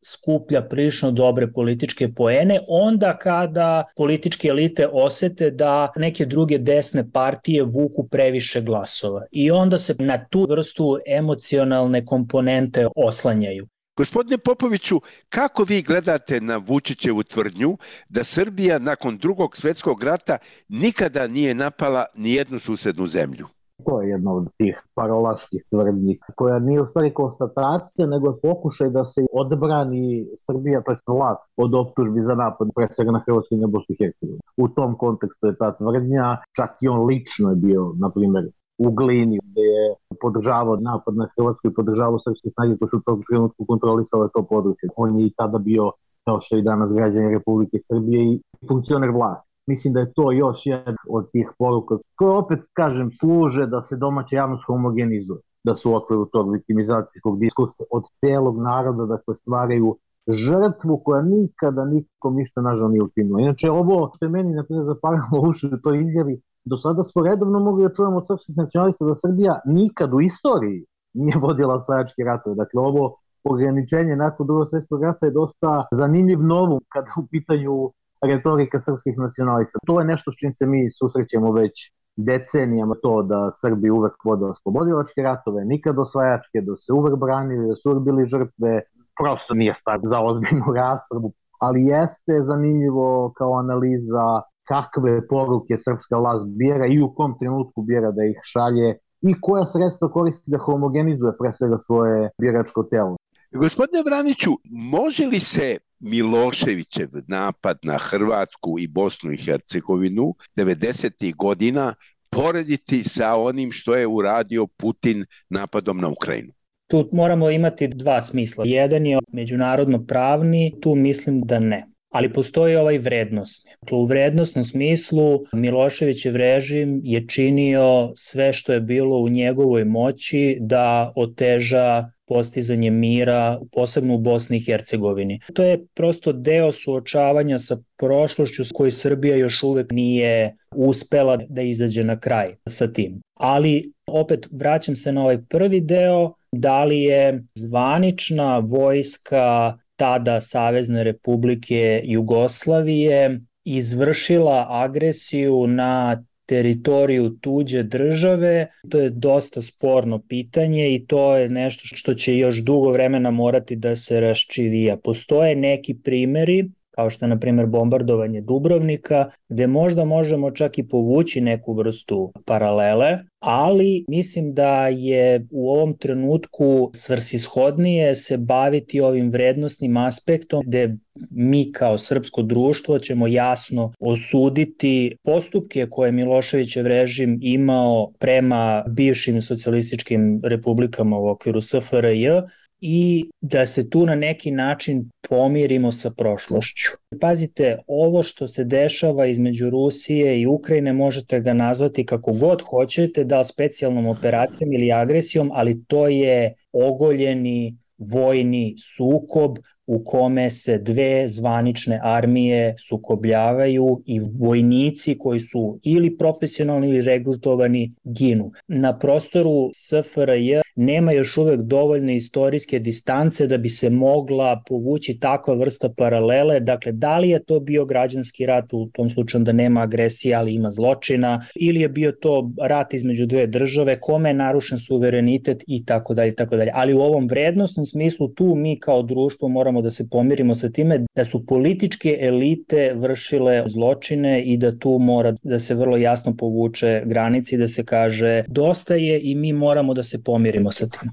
skuplja prilično dobre političke poene, onda kada političke elite osete da neke druge desne partije vuku previše glasova. I onda se na tu vrstu emocionalne komponente oslanjaju. Gospodine Popoviću, kako vi gledate na Vučićevu tvrdnju da Srbija nakon drugog svjetskog rata nikada nije napala ni jednu susednu zemlju? To je jedna od tih parolaških tvrdnji koja nije u stvari konstatacija, nego je pokušaj da se odbrani Srbija, to je vlast, od optužbi za napad, pre svega na Hrvatsku i na Bosnu i Hercegovinu. U tom kontekstu je ta tvrdnja, čak i on lično je bio, na primjer, u Glini, gde je podržavao napad na Hrvatsku i podržavao srpske snage koje su u tom trenutku kontrolisale to područje. On je i tada bio, kao što i danas građani Republike Srbije, i funkcioner vlasti. Mislim da je to još jedan od tih poruka koje opet, kažem, služe da se domaća javnost homogenizuje, da su u okviru tog viktimizacijskog diskursa od celog naroda, dakle stvaraju žrtvu koja nikada nikom ništa nažal nije učinila. Inače, ovo što je meni naprijed zaparalo uši u toj izjavi, do sada smo redovno mogli da čujemo od srpskih nacionalista da Srbija nikad u istoriji nije vodila osvajačke ratove. Dakle, ovo ograničenje nakon drugog svjetskog rata je dosta zanimljiv novum kada u pitanju retorika srpskih nacionalista. To je nešto s čim se mi susrećemo već decenijama, to da Srbi uvek vode oslobodilačke ratove, nikad osvajačke, da se uvek branili, da su uvek bili žrtve, prosto nije stvar za ozbiljnu raspravu, ali jeste zanimljivo kao analiza kakve poruke srpska vlast bira i u kom trenutku bira da ih šalje i koja sredstva koristi da homogenizuje pre svega svoje biračko telo. Gospodine Vraniću, može li se Miloševićev napad na Hrvatsku i Bosnu i Hercegovinu devedesetih godina porediti sa onim što je uradio Putin napadom na Ukrajinu? Tu moramo imati dva smisla. Jedan je međunarodno pravni, tu mislim da ne. Ali postoji ovaj vrednosni. U vrednosnom smislu Miloševićev režim je činio sve što je bilo u njegovoj moći da oteža postizanje mira, posebno u Bosni i Hercegovini. To je prosto deo suočavanja sa prošlošću s kojoj Srbija još uvek nije uspela da izađe na kraj sa tim. Ali opet vraćam se na ovaj prvi deo, da li je zvanična vojska tada Savezne Republike Jugoslavije izvršila agresiju na teritoriju tuđe države, to je dosta sporno pitanje i to je nešto što će još dugo vremena morati da se raščivija. Postoje neki primeri, kao što je na primjer bombardovanje Dubrovnika, gde možda možemo čak i povući neku vrstu paralele, ali mislim da je u ovom trenutku svrsishodnije se baviti ovim vrednosnim aspektom, gde mi kao srpsko društvo ćemo jasno osuditi postupke koje je Miloševićev režim imao prema bivšim socijalističkim republikama u okviru S F R J, i da se tu na neki način pomirimo sa prošlošću. Pazite, ovo što se dešava između Rusije i Ukrajine možete ga nazvati kako god hoćete, da li specijalnom operacijom ili agresijom, ali to je ogoljeni vojni sukob u kome se dve zvanične armije sukobljavaju i vojnici koji su ili profesionalni ili regrutovani ginu. Na prostoru S F R J nema još uvek dovoljne istorijske distance da bi se mogla povući takva vrsta paralele. Dakle, da li je to bio građanski rat, u tom slučaju da nema agresije, ali ima zločina, ili je bio to rat između dve države, kome je narušen suverenitet i tako dalje, tako dalje. Ali u ovom vrednosnom smislu tu mi kao društvo moramo da se pomirimo sa time da su političke elite vršile zločine i da tu mora da se vrlo jasno povuče granici, da se kaže dosta je i mi moramo da se pomirimo sa tim.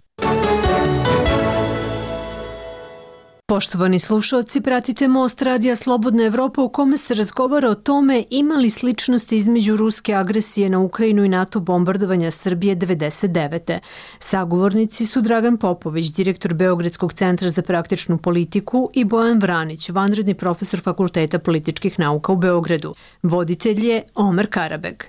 Poštovani slušalci, pratite Most Radija Slobodna Evropa u kome se razgovara o tome ima li sličnosti između ruske agresije na Ukrajinu i NATO bombardovanja Srbije devedeset devete. Sagovornici su Dragan Popović, direktor Beogradskog centra za praktičnu politiku, i Bojan Vranić, vanredni profesor Fakulteta političkih nauka u Beogradu. Voditelj je Omer Karabeg.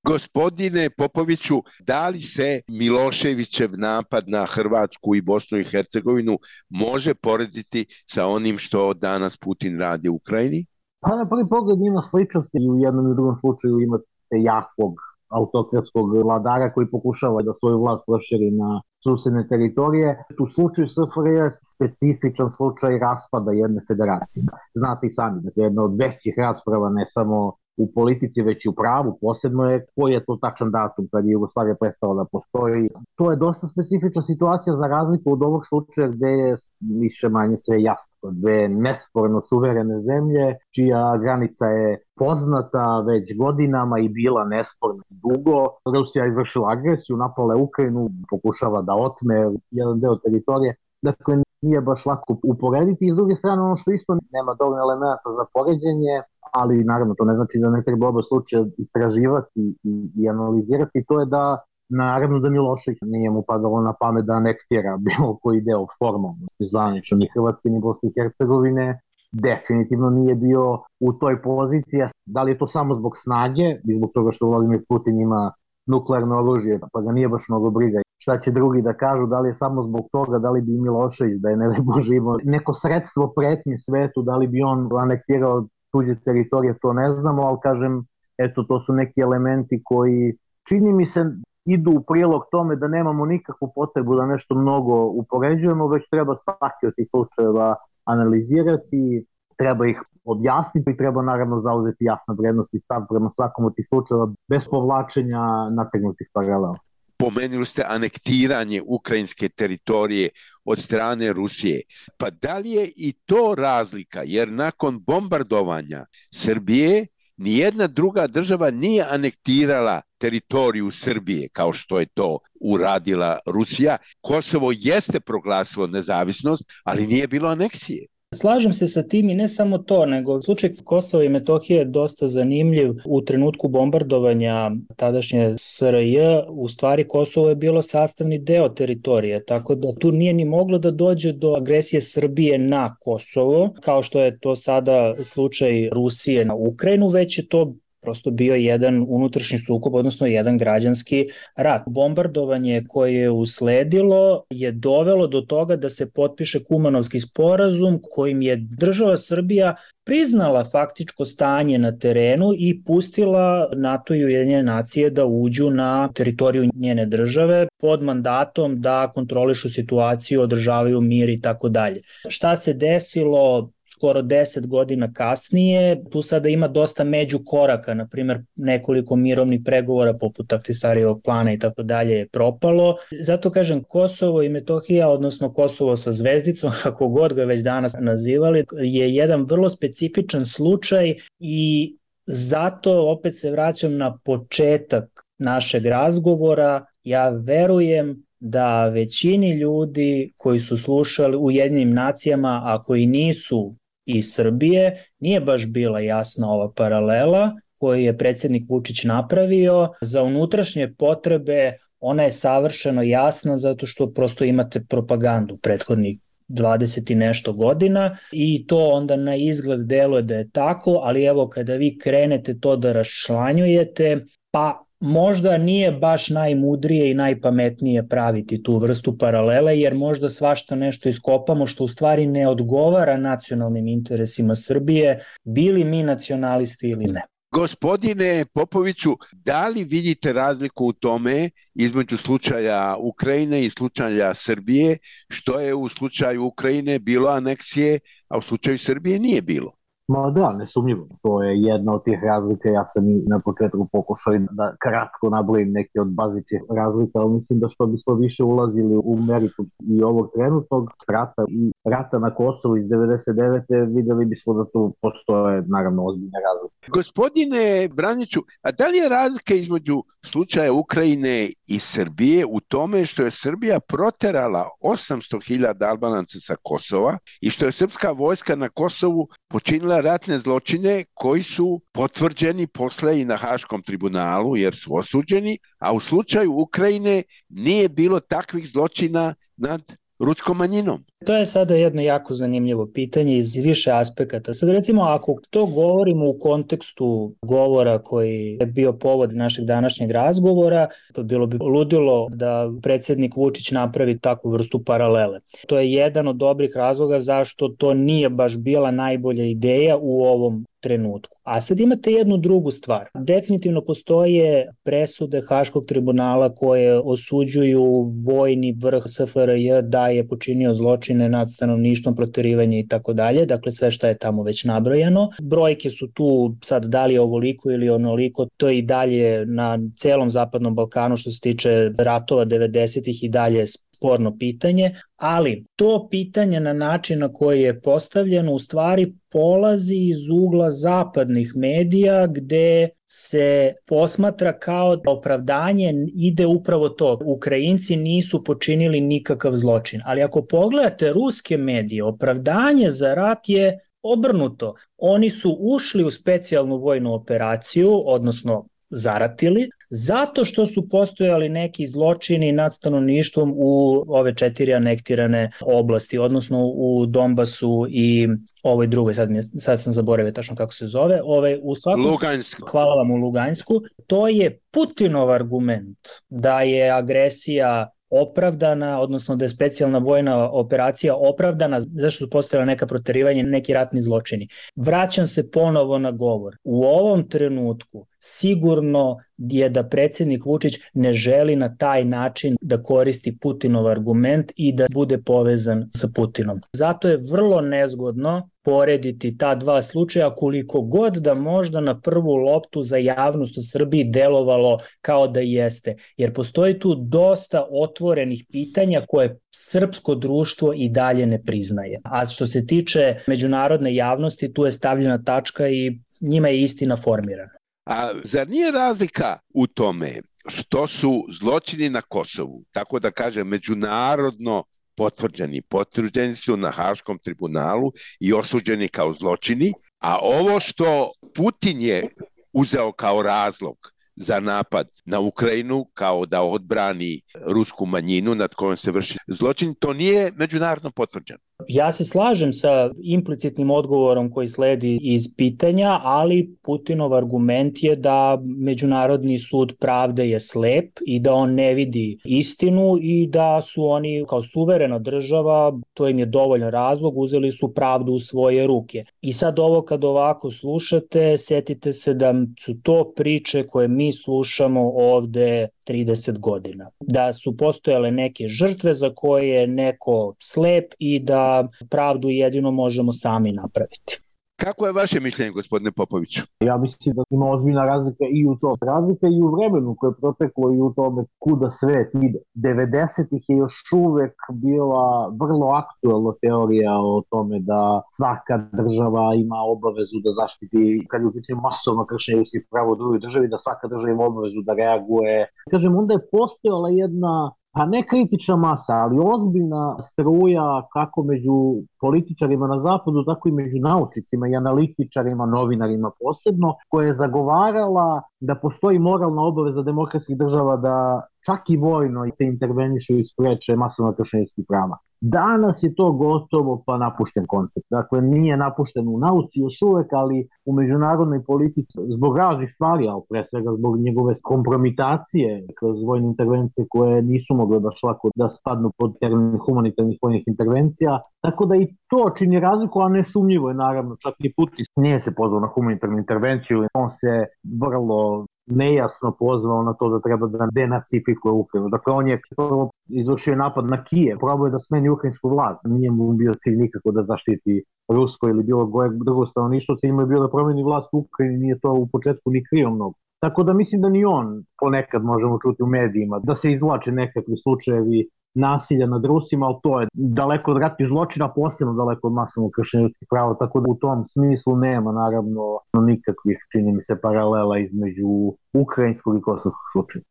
Gospodine Popoviću, da li se Miloševićev napad na Hrvatsku i Bosnu i Hercegovinu može porediti sa onim što danas Putin radi u Ukrajini? Pa na prvi pogled ima sličnosti i u jednom i u drugom slučaju imate jakog autokratskog vladara koji pokušava da svoju vlast proširi na susedne teritorije. U slučaju S F R J je specifičan slučaj raspada jedne federacije. Znate i sami, dakle, jedna od većih rasprava ne samo u politici, već i u pravu, posebno je koji je to tačan datum kad je Jugoslavija prestala da postoji. To je dosta specifična situacija za razliku od ovog slučaja gde je više manje sve jasno. Dve nesporno suverene zemlje, čija granica je poznata već godinama i bila nesporna dugo. Rusija je izvršila agresiju, napala je Ukrajinu, pokušava da otme jedan deo teritorije. Dakle, nije baš lako uporediti. I s druge strane, ono što isto nema dovoljno elementa za poređenje, ali naravno to ne znači da ne treba oba slučaja istraživati i, i analizirati, to je da naravno da Milošević nije mu padalo na pamet da anektira bilo koji deo formalnosti zvanično ni Hrvatske ni Bosne i Hercegovine, definitivno nije bio u toj poziciji. Da li je to samo zbog snage i zbog toga što Vladimir Putin ima nuklearno oružje, pa ga nije baš mnogo briga šta će drugi da kažu, da li je samo zbog toga, da li bi Milošević, da je ne Bože imao neko sredstvo pretnje svetu, da li bi on anektirao tuđe teritorije, to ne znamo, ali kažem, eto, to su neki elementi koji, čini mi se, idu u prilog tome da nemamo nikakvu potrebu da nešto mnogo upoređujemo, već treba svaki od tih slučajeva analizirati, treba ih objasniti i treba naravno zauzeti jasna vrednost i stav prema svakom od tih slučajeva bez povlačenja nategnutih paralela. Pomenuli ste anektiranje ukrajinske teritorije od strane Rusije. Pa da li je i to razlika? Jer nakon bombardovanja Srbije nijedna druga država nije anektirala teritoriju Srbije kao što je to uradila Rusija. Kosovo jeste proglasilo nezavisnost, ali nije bilo aneksije. Slažem se sa tim i ne samo to, nego slučaj Kosova i Metohije je dosta zanimljiv. U trenutku bombardovanja tadašnje S R J, u stvari Kosovo je bilo sastavni deo teritorije, tako da tu nije ni moglo da dođe do agresije Srbije na Kosovo, kao što je to sada slučaj Rusije na Ukrajinu, već je to prosto bio jedan unutrašnji sukob, odnosno jedan građanski rat. Bombardovanje koje je usledilo je dovelo do toga da se potpiše Kumanovski sporazum kojim je država Srbija priznala faktičko stanje na terenu i pustila NATO i Ujedinjene nacije da uđu na teritoriju njene države pod mandatom da kontrolišu situaciju, održavaju mir i tako dalje. Šta se desilo skoro deset godina kasnije? Tu sada ima dosta međukoraka, na primjer nekoliko mirovnih pregovora poput Ahtisarijevog plana i tako dalje je propalo. Zato kažem, Kosovo i Metohija, odnosno Kosovo sa zvezdicom, kako god ga već danas nazivali, je jedan vrlo specifičan slučaj i zato opet se vraćam na početak našeg razgovora. Ja verujem da većini ljudi koji su slušali u Ujedinjenim nacijama, a koji nisu iz Srbije, nije baš bila jasna ova paralela koju je predsjednik Vučić napravio. Za unutrašnje potrebe ona je savršeno jasna zato što prosto imate propagandu prethodnih dvadeset i nešto godina i to onda na izgled deluje da je tako, ali evo kada vi krenete to da raščlanjujete, pa možda nije baš najmudrije i najpametnije praviti tu vrstu paralele, jer možda svašta nešto iskopamo što u stvari ne odgovara nacionalnim interesima Srbije, bili mi nacionalisti ili ne. Gospodine Popoviću, da li vidite razliku u tome između slučaja Ukrajine i slučaja Srbije, što je u slučaju Ukrajine bilo aneksije, a u slučaju Srbije nije bilo? Ma da, nesumnjivo. To je jedna od tih razlika. Ja sam i na početku pokušao da kratko nabrojim neke od bazičnih razlika, ali mislim da što bismo više ulazili u meritum i ovog trenutnog rata i rata na Kosovu iz devedeset devete videli bismo da tu postoje naravno ozbiljne razlike. Gospodine Braniću, a da li je razlika između slučaja Ukrajine i Srbije u tome što je Srbija proterala osamsto hiljada Albanaca sa Kosova i što je srpska vojska na Kosovu počinila ratne zločine koji su potvrđeni posle i na Haškom tribunalu jer su osuđeni, a u slučaju Ukrajine nije bilo takvih zločina nad ruskom manjinom? To je sada jedno jako zanimljivo pitanje iz više aspekata. Sad recimo, ako to govorimo u kontekstu govora koji je bio povod našeg današnjeg razgovora, to bilo bi ludilo da predsjednik Vučić napravi takvu vrstu paralele. To je jedan od dobrih razloga zašto to nije baš bila najbolja ideja u ovom trenutku. A sad imate jednu drugu stvar. Definitivno postoje presude Haškog tribunala koje osuđuju vojni vrh S F R J da je počinio zločine nad stanovništvom, proterivanje i tako dalje. Dakle, sve što je tamo već nabrojano. Brojke su tu sad da li je ovoliko ili onoliko, to je i dalje na celom Zapadnom Balkanu što se tiče ratova devedesetih i dalje sporno pitanje, ali to pitanje na način na koji je postavljeno u stvari polazi iz ugla zapadnih medija gde se posmatra kao opravdanje ide upravo to. Ukrajinci nisu počinili nikakav zločin, ali ako pogledate ruske medije, opravdanje za rat je obrnuto. Oni su ušli u specijalnu vojnu operaciju, odnosno zaratili, zato što su postojali neki zločini nad stanovništvom u ove četiri anektirane oblasti, odnosno u Donbasu i ovoj drugoj, sad, mi je, sad sam zaboravio tačno kako se zove, ovaj, u svakom, Lugansku. Hvala vam, u Lugansku. To je Putinov argument da je agresija opravdana, odnosno da je specijalna vojna operacija opravdana zašto su postojala neka proterivanja, neki ratni zločini. Vraćam se ponovo na govor. U ovom trenutku sigurno je da predsjednik Vučić ne želi na taj način da koristi Putinov argument i da bude povezan sa Putinom. Zato je vrlo nezgodno porediti ta dva slučaja koliko god da možda na prvu loptu za javnost u Srbiji delovalo kao da jeste. Jer postoji tu dosta otvorenih pitanja koje srpsko društvo i dalje ne priznaje. A što se tiče međunarodne javnosti, tu je stavljena tačka i njima je istina formirana. A zar nije razlika u tome što su zločini na Kosovu, tako da kažem, međunarodno potvrđeni. Potvrđeni su na Haškom tribunalu i osuđeni kao zločini, a ovo što Putin je uzeo kao razlog za napad na Ukrajinu, kao da odbrani rusku manjinu nad kojom se vrši zločin, to nije međunarodno potvrđeno. Ja se slažem sa implicitnim odgovorom koji sledi iz pitanja, ali Putinov argument je da Međunarodni sud pravde je slep i da on ne vidi istinu i da su oni kao suverena država, to im je dovoljan razlog, uzeli su pravdu u svoje ruke. I sad ovo kad ovako slušate, setite se da su to priče koje mi slušamo ovde trideset godina. Da su postojale neke žrtve za koje je neko slep i da pravdu jedino možemo sami napraviti. Kako je vaše mišljenje, gospodine Popoviću? Ja mislim da ima ozbiljna razlika i u to. Razlika i u vremenu koje je proteklo i u tome kuda svet ide. devedesetih je još uvek bila vrlo aktuelna teorija o tome da svaka država ima obavezu da zaštiti, kad je u pitanju masovno kršenje ljudskih prava u drugoj državi, da svaka država ima obavezu da reaguje. Kažem, onda je postojala jedna, pa ne kritična masa, ali ozbiljna struja kako među političarima na zapadu, tako i među naučnicima i analitičarima, novinarima posebno, koja je zagovarala da postoji moralna obaveza demokratskih država da čak i vojno te intervenišu i spreče masovno kršenje ljudskih prava. Danas je to gotovo pa napušten koncept. Dakle, nije napušten u nauci još uvek, ali u međunarodnoj politici zbog raznih stvari, ali pre svega zbog njegove kompromitacije kroz vojne intervencije koje nisu mogle baš lako da spadnu pod termin humanitarnih vojnih intervencija. Tako da i to čini razliku, a nesumnjivo je naravno, čak i Putin nije se pozvao na humanitarnu intervenciju, on se vrlo nejasno pozvao na to da treba da denacifikuje Ukrajinu. Dakle, on je prvo izvršio napad na Kijev, probao je da smeni ukrajinsku vlast. Nije mu bio cilj nikako da zaštiti rusko ili bilo koje drugo stanovništvo, cilj mu je bio da promeni vlast u Ukrajini, nije to u početku ni krio mnogo. Tako da mislim da ni on, ponekad možemo čuti u medijima, da se izvlače nekakvi slučajevi nasilja nad Rusima, ali to je daleko od ratnih zločina, posebno daleko od masovnog kršenja ljudskih prava, tako da u tom smislu nema naravno nikakvih, čini mi se, paralela između ukrajinskog i kosovskog slučaja.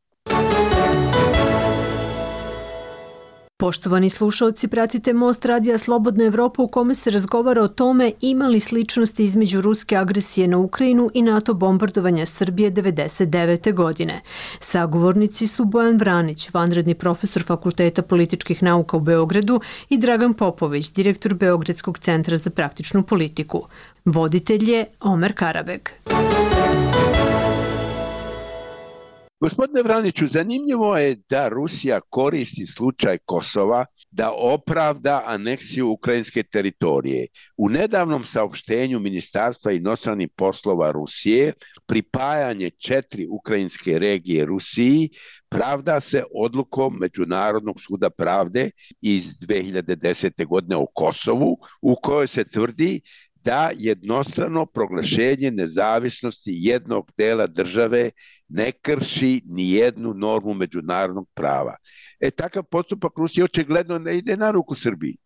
Poštovani slušaoci, pratite Most radija Slobodna Evropa u kome se razgovara o tome ima li sličnosti između ruske agresije na Ukrajinu i NATO bombardovanja Srbije devedeset devete. godine. Sagovornici su Bojan Vranić, vanredni profesor Fakulteta političkih nauka u Beogradu, i Dragan Popović, direktor Beogradskog centra za praktičnu politiku. Voditelj je Omer Karabeg. Gospodine Vraniću, zanimljivo je da Rusija koristi slučaj Kosova da opravda aneksiju ukrajinske teritorije. U nedavnom saopštenju Ministarstva inostranih poslova Rusije pripajanje četiri ukrajinske regije Rusiji pravda se odlukom Međunarodnog suda pravde iz dve hiljade desete. godine o Kosovu, u kojoj se tvrdi da jednostrano proglašenje nezavisnosti jednog dela države ne krši ni jednu normu međunarodnog prava. E, takav postupak Rusije očigledno ne ide na ruku Srbiji.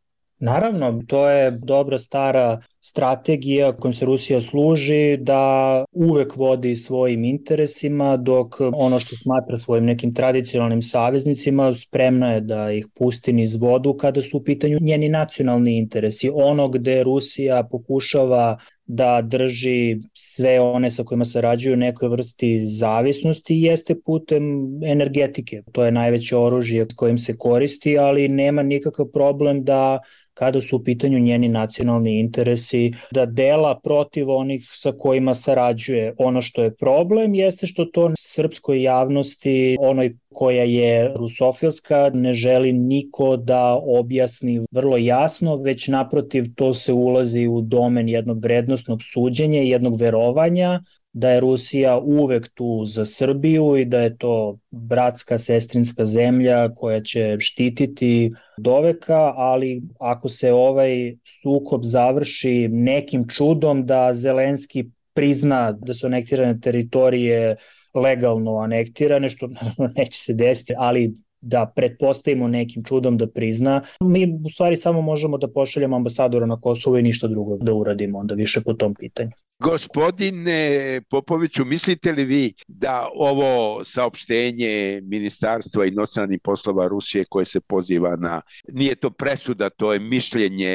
Naravno, to je dobra stara strategija kojom se Rusija služi da uvek vodi svojim interesima, dok ono što smatra svojim nekim tradicionalnim saveznicima spremna je da ih pusti niz vodu kada su u pitanju njeni nacionalni interesi. Ono gde Rusija pokušava da drži sve one sa kojima sarađuju nekoj vrsti zavisnosti jeste putem energetike. To je najveće oružje kojim se koristi, ali nema nikakav problem da kada su u pitanju njeni nacionalni interesi, da dela protiv onih sa kojima sarađuje. Ono što je problem jeste što to srpskoj javnosti, onoj koja je rusofilska, ne želi niko da objasni vrlo jasno, već naprotiv to se ulazi u domen jednog vrednosnog suđenja, jednog verovanja da je Rusija uvek tu za Srbiju i da je to bratska, sestrinska zemlja koja će štititi doveka, ali ako se ovaj sukob završi nekim čudom da Zelenski prizna da su anektirane teritorije legalno anektirane, što naravno neće se desiti, ali da pretpostavimo nekim čudom da prizna. Mi u stvari samo možemo da pošaljemo ambasadora na Kosovo i ništa drugo da uradimo onda više po tom pitanju. Gospodine Popoviću, mislite li vi da ovo saopštenje Ministarstva inostranih poslova Rusije koje se poziva na, nije to presuda, to je mišljenje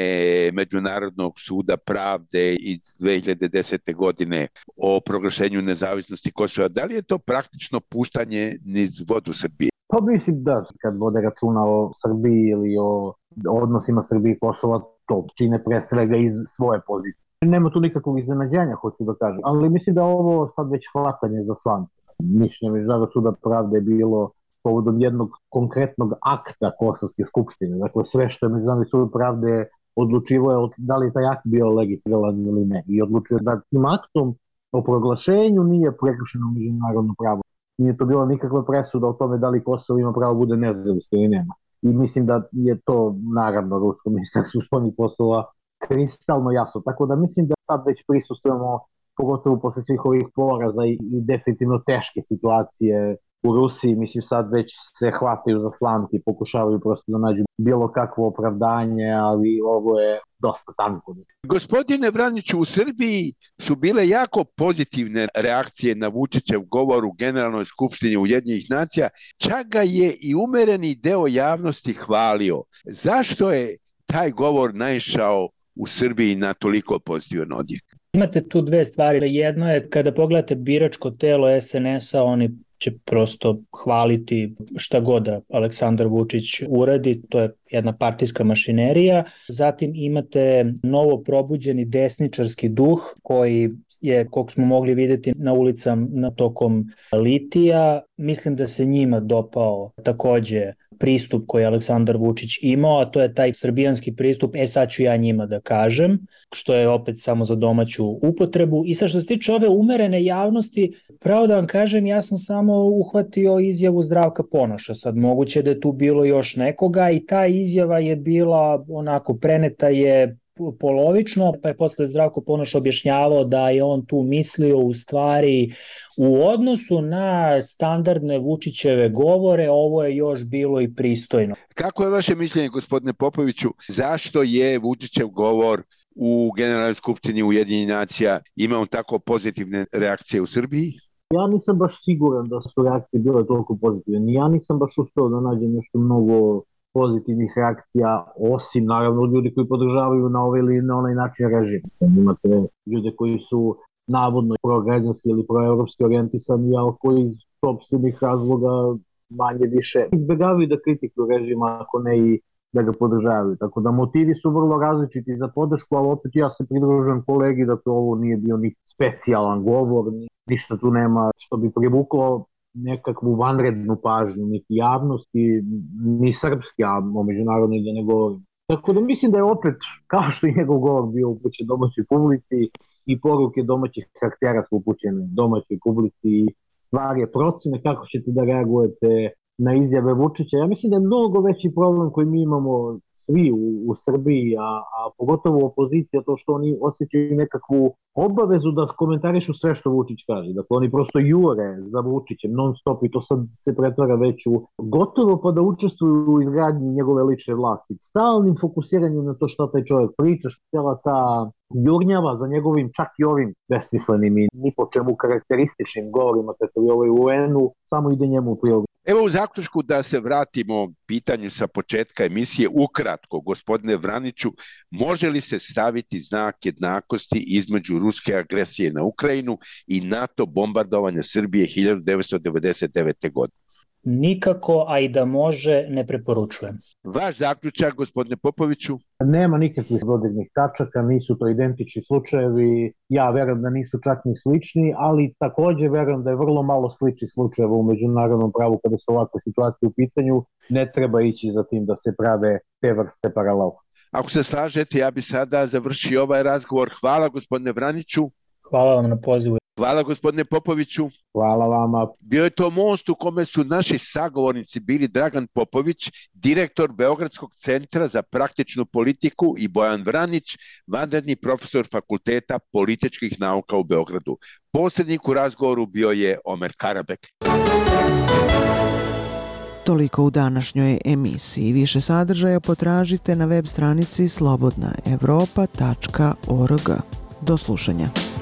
Međunarodnog suda pravde iz dve hiljade desete. godine o proglašenju nezavisnosti Kosova, da li je to praktično puštanje niz vodu Srbije? Pa mislim da, kad vode računa o Srbiji ili o odnosima Srbije i Kosova, to čine pre svega iz svoje pozicije. Nema tu nikakvog iznenađenja, hoću da kažem, ali mislim da ovo sad već hvatanje za slamke. Mišljenje Međunarodnog suda pravde je bilo povodom jednog konkretnog akta Kosovske skupštine. Dakle, sve što je Međunarodni sud pravde odlučivo je da li je taj akt bio legitiman ili ne. I odlučio da tim aktom o proglašenju nije prekršeno međunarodno pravo. Nije to bila nikakva presuda o tome da li Kosovo ima pravo bude nezavisno ili nema. I mislim da je to, naravno, Rusko ministarstvo spoljnih poslova kristalno jasno. Tako da mislim da sad već prisustujemo, pogotovo posle svih ovih poraza i, i definitivno teške situacije u Rusiji, mislim sad već se hvataju za slamke i pokušavaju prosto da nađu bilo kakvo opravdanje, ali ovo je dosta tanko. Gospodine Vraniću, u Srbiji su bile jako pozitivne reakcije na Vučićev govor u Generalnoj skupštini Ujedinjenih nacija, čak ga je i umereni deo javnosti hvalio. Zašto je taj govor naišao u Srbiji na toliko pozitivan odjek? Imate tu dve stvari. Jedno je kada pogledate biračko telo es en es a, oni će prosto hvaliti šta god da Aleksandar Vučić uradi, to je jedna partijska mašinerija. Zatim imate novo probuđeni desničarski duh koji je, koliko smo mogli vidjeti na ulicama tokom litija, mislim da se njima dopao takođe pristup koji je Aleksandar Vučić imao, a to je taj srbijanski pristup, e sad ću ja njima da kažem, što je opet samo za domaću upotrebu. I sad što se tiče ove umerene javnosti, pravo da vam kažem, ja sam samo uhvatio izjavu Zdravka Ponoša, sad moguće da je tu bilo još nekoga i ta izjava je bila onako preneta je polovično, pa je posle Zdravko Ponoš objašnjavao da je on tu mislio u stvari u odnosu na standardne Vučićeve govore, ovo je još bilo i pristojno. Kako je vaše mišljenje, gospodine Popoviću, zašto je Vučićev govor u Generalnoj skupštini Ujedinjenih nacija imao tako pozitivne reakcije u Srbiji? Ja nisam baš siguran da su reakcije bile toliko pozitivne. Ja nisam baš uspeo da nađem nešto mnogo pozitivnih reakcija, osim naravno ljudi koji podržavaju na ovaj ili na onaj način režim. Imate ljude koji su navodno prograđanski ili proevropski orijentisani, a koji iz sopstvenih razloga manje više izbjegavaju da kritikuju režima, ako ne i da ga podržavaju. Tako da motivi su vrlo različiti za podršku, ali opet ja se pridružujem kolegi da to ovo nije bio ni specijalan govor, ništa tu nema što bi privuklo nekakvu vanrednu pažnju, niti javnosti, ni srpski, a o međunarodnoj da ne govorim. Tako da mislim da je opet, kao što je njegov govor bio upućen domaćoj publici, i poruke domaćih karaktera su upućene domaćoj publici, stvar je procene kako ćete da reagujete na izjave Vučića. Ja mislim da je mnogo veći problem koji mi imamo svi u, u Srbiji, a, a pogotovo opozicija, to što oni osjećaju nekakvu obavezu da komentarišu sve što Vučić kaže. Dakle, oni prosto jure za Vučićem non stop i to sad se pretvara već u gotovo pa da učestvuju u izgradnji njegove lične vlasti. Stalnim fokusiranjem na to šta taj čovjek priča, šta ta jurnjava za njegovim čak i ovim besmislenim i ni po čemu karakterističnim govorima, kako je ovaj u en-u, samo ide njemu u prilog. Evo u zaključku da se vratimo pitanju sa početka emisije, ukratko, gospodine Vraniću, može li se staviti znak jednakosti između ruske agresije na Ukrajinu i NATO bombardovanja Srbije hiljadu devetsto devedeset devete. godine? Nikako, a i da može, ne preporučujem. Vaš zaključak, gospodine Popoviću? Nema nikakvih dodirnih tačaka, nisu to identični slučajevi, ja verujem da nisu čak ni slični, ali takođe verujem da je vrlo malo sličnih slučajeva u međunarodnom pravu kada su ovakve situacije u pitanju, ne treba ići za tim da se prave te vrste paralela. Ako se slažete, ja bi sada završio ovaj razgovor. Hvala gospodine Vraniću. Hvala vam na pozivu. Hvala gospodine Popoviću. Hvala vama. Bio je to most u kome su naši sagovornici bili Dragan Popović, direktor Beogradskog centra za praktičnu politiku, i Bojan Vranić, vanredni profesor Fakulteta političkih nauka u Beogradu. Posrednik u razgovoru bio je Omer Karabek. Toliko u današnjoj emisiji. Više sadržaja potražite na web stranici slobodna evropa tačka org. Do slušanja.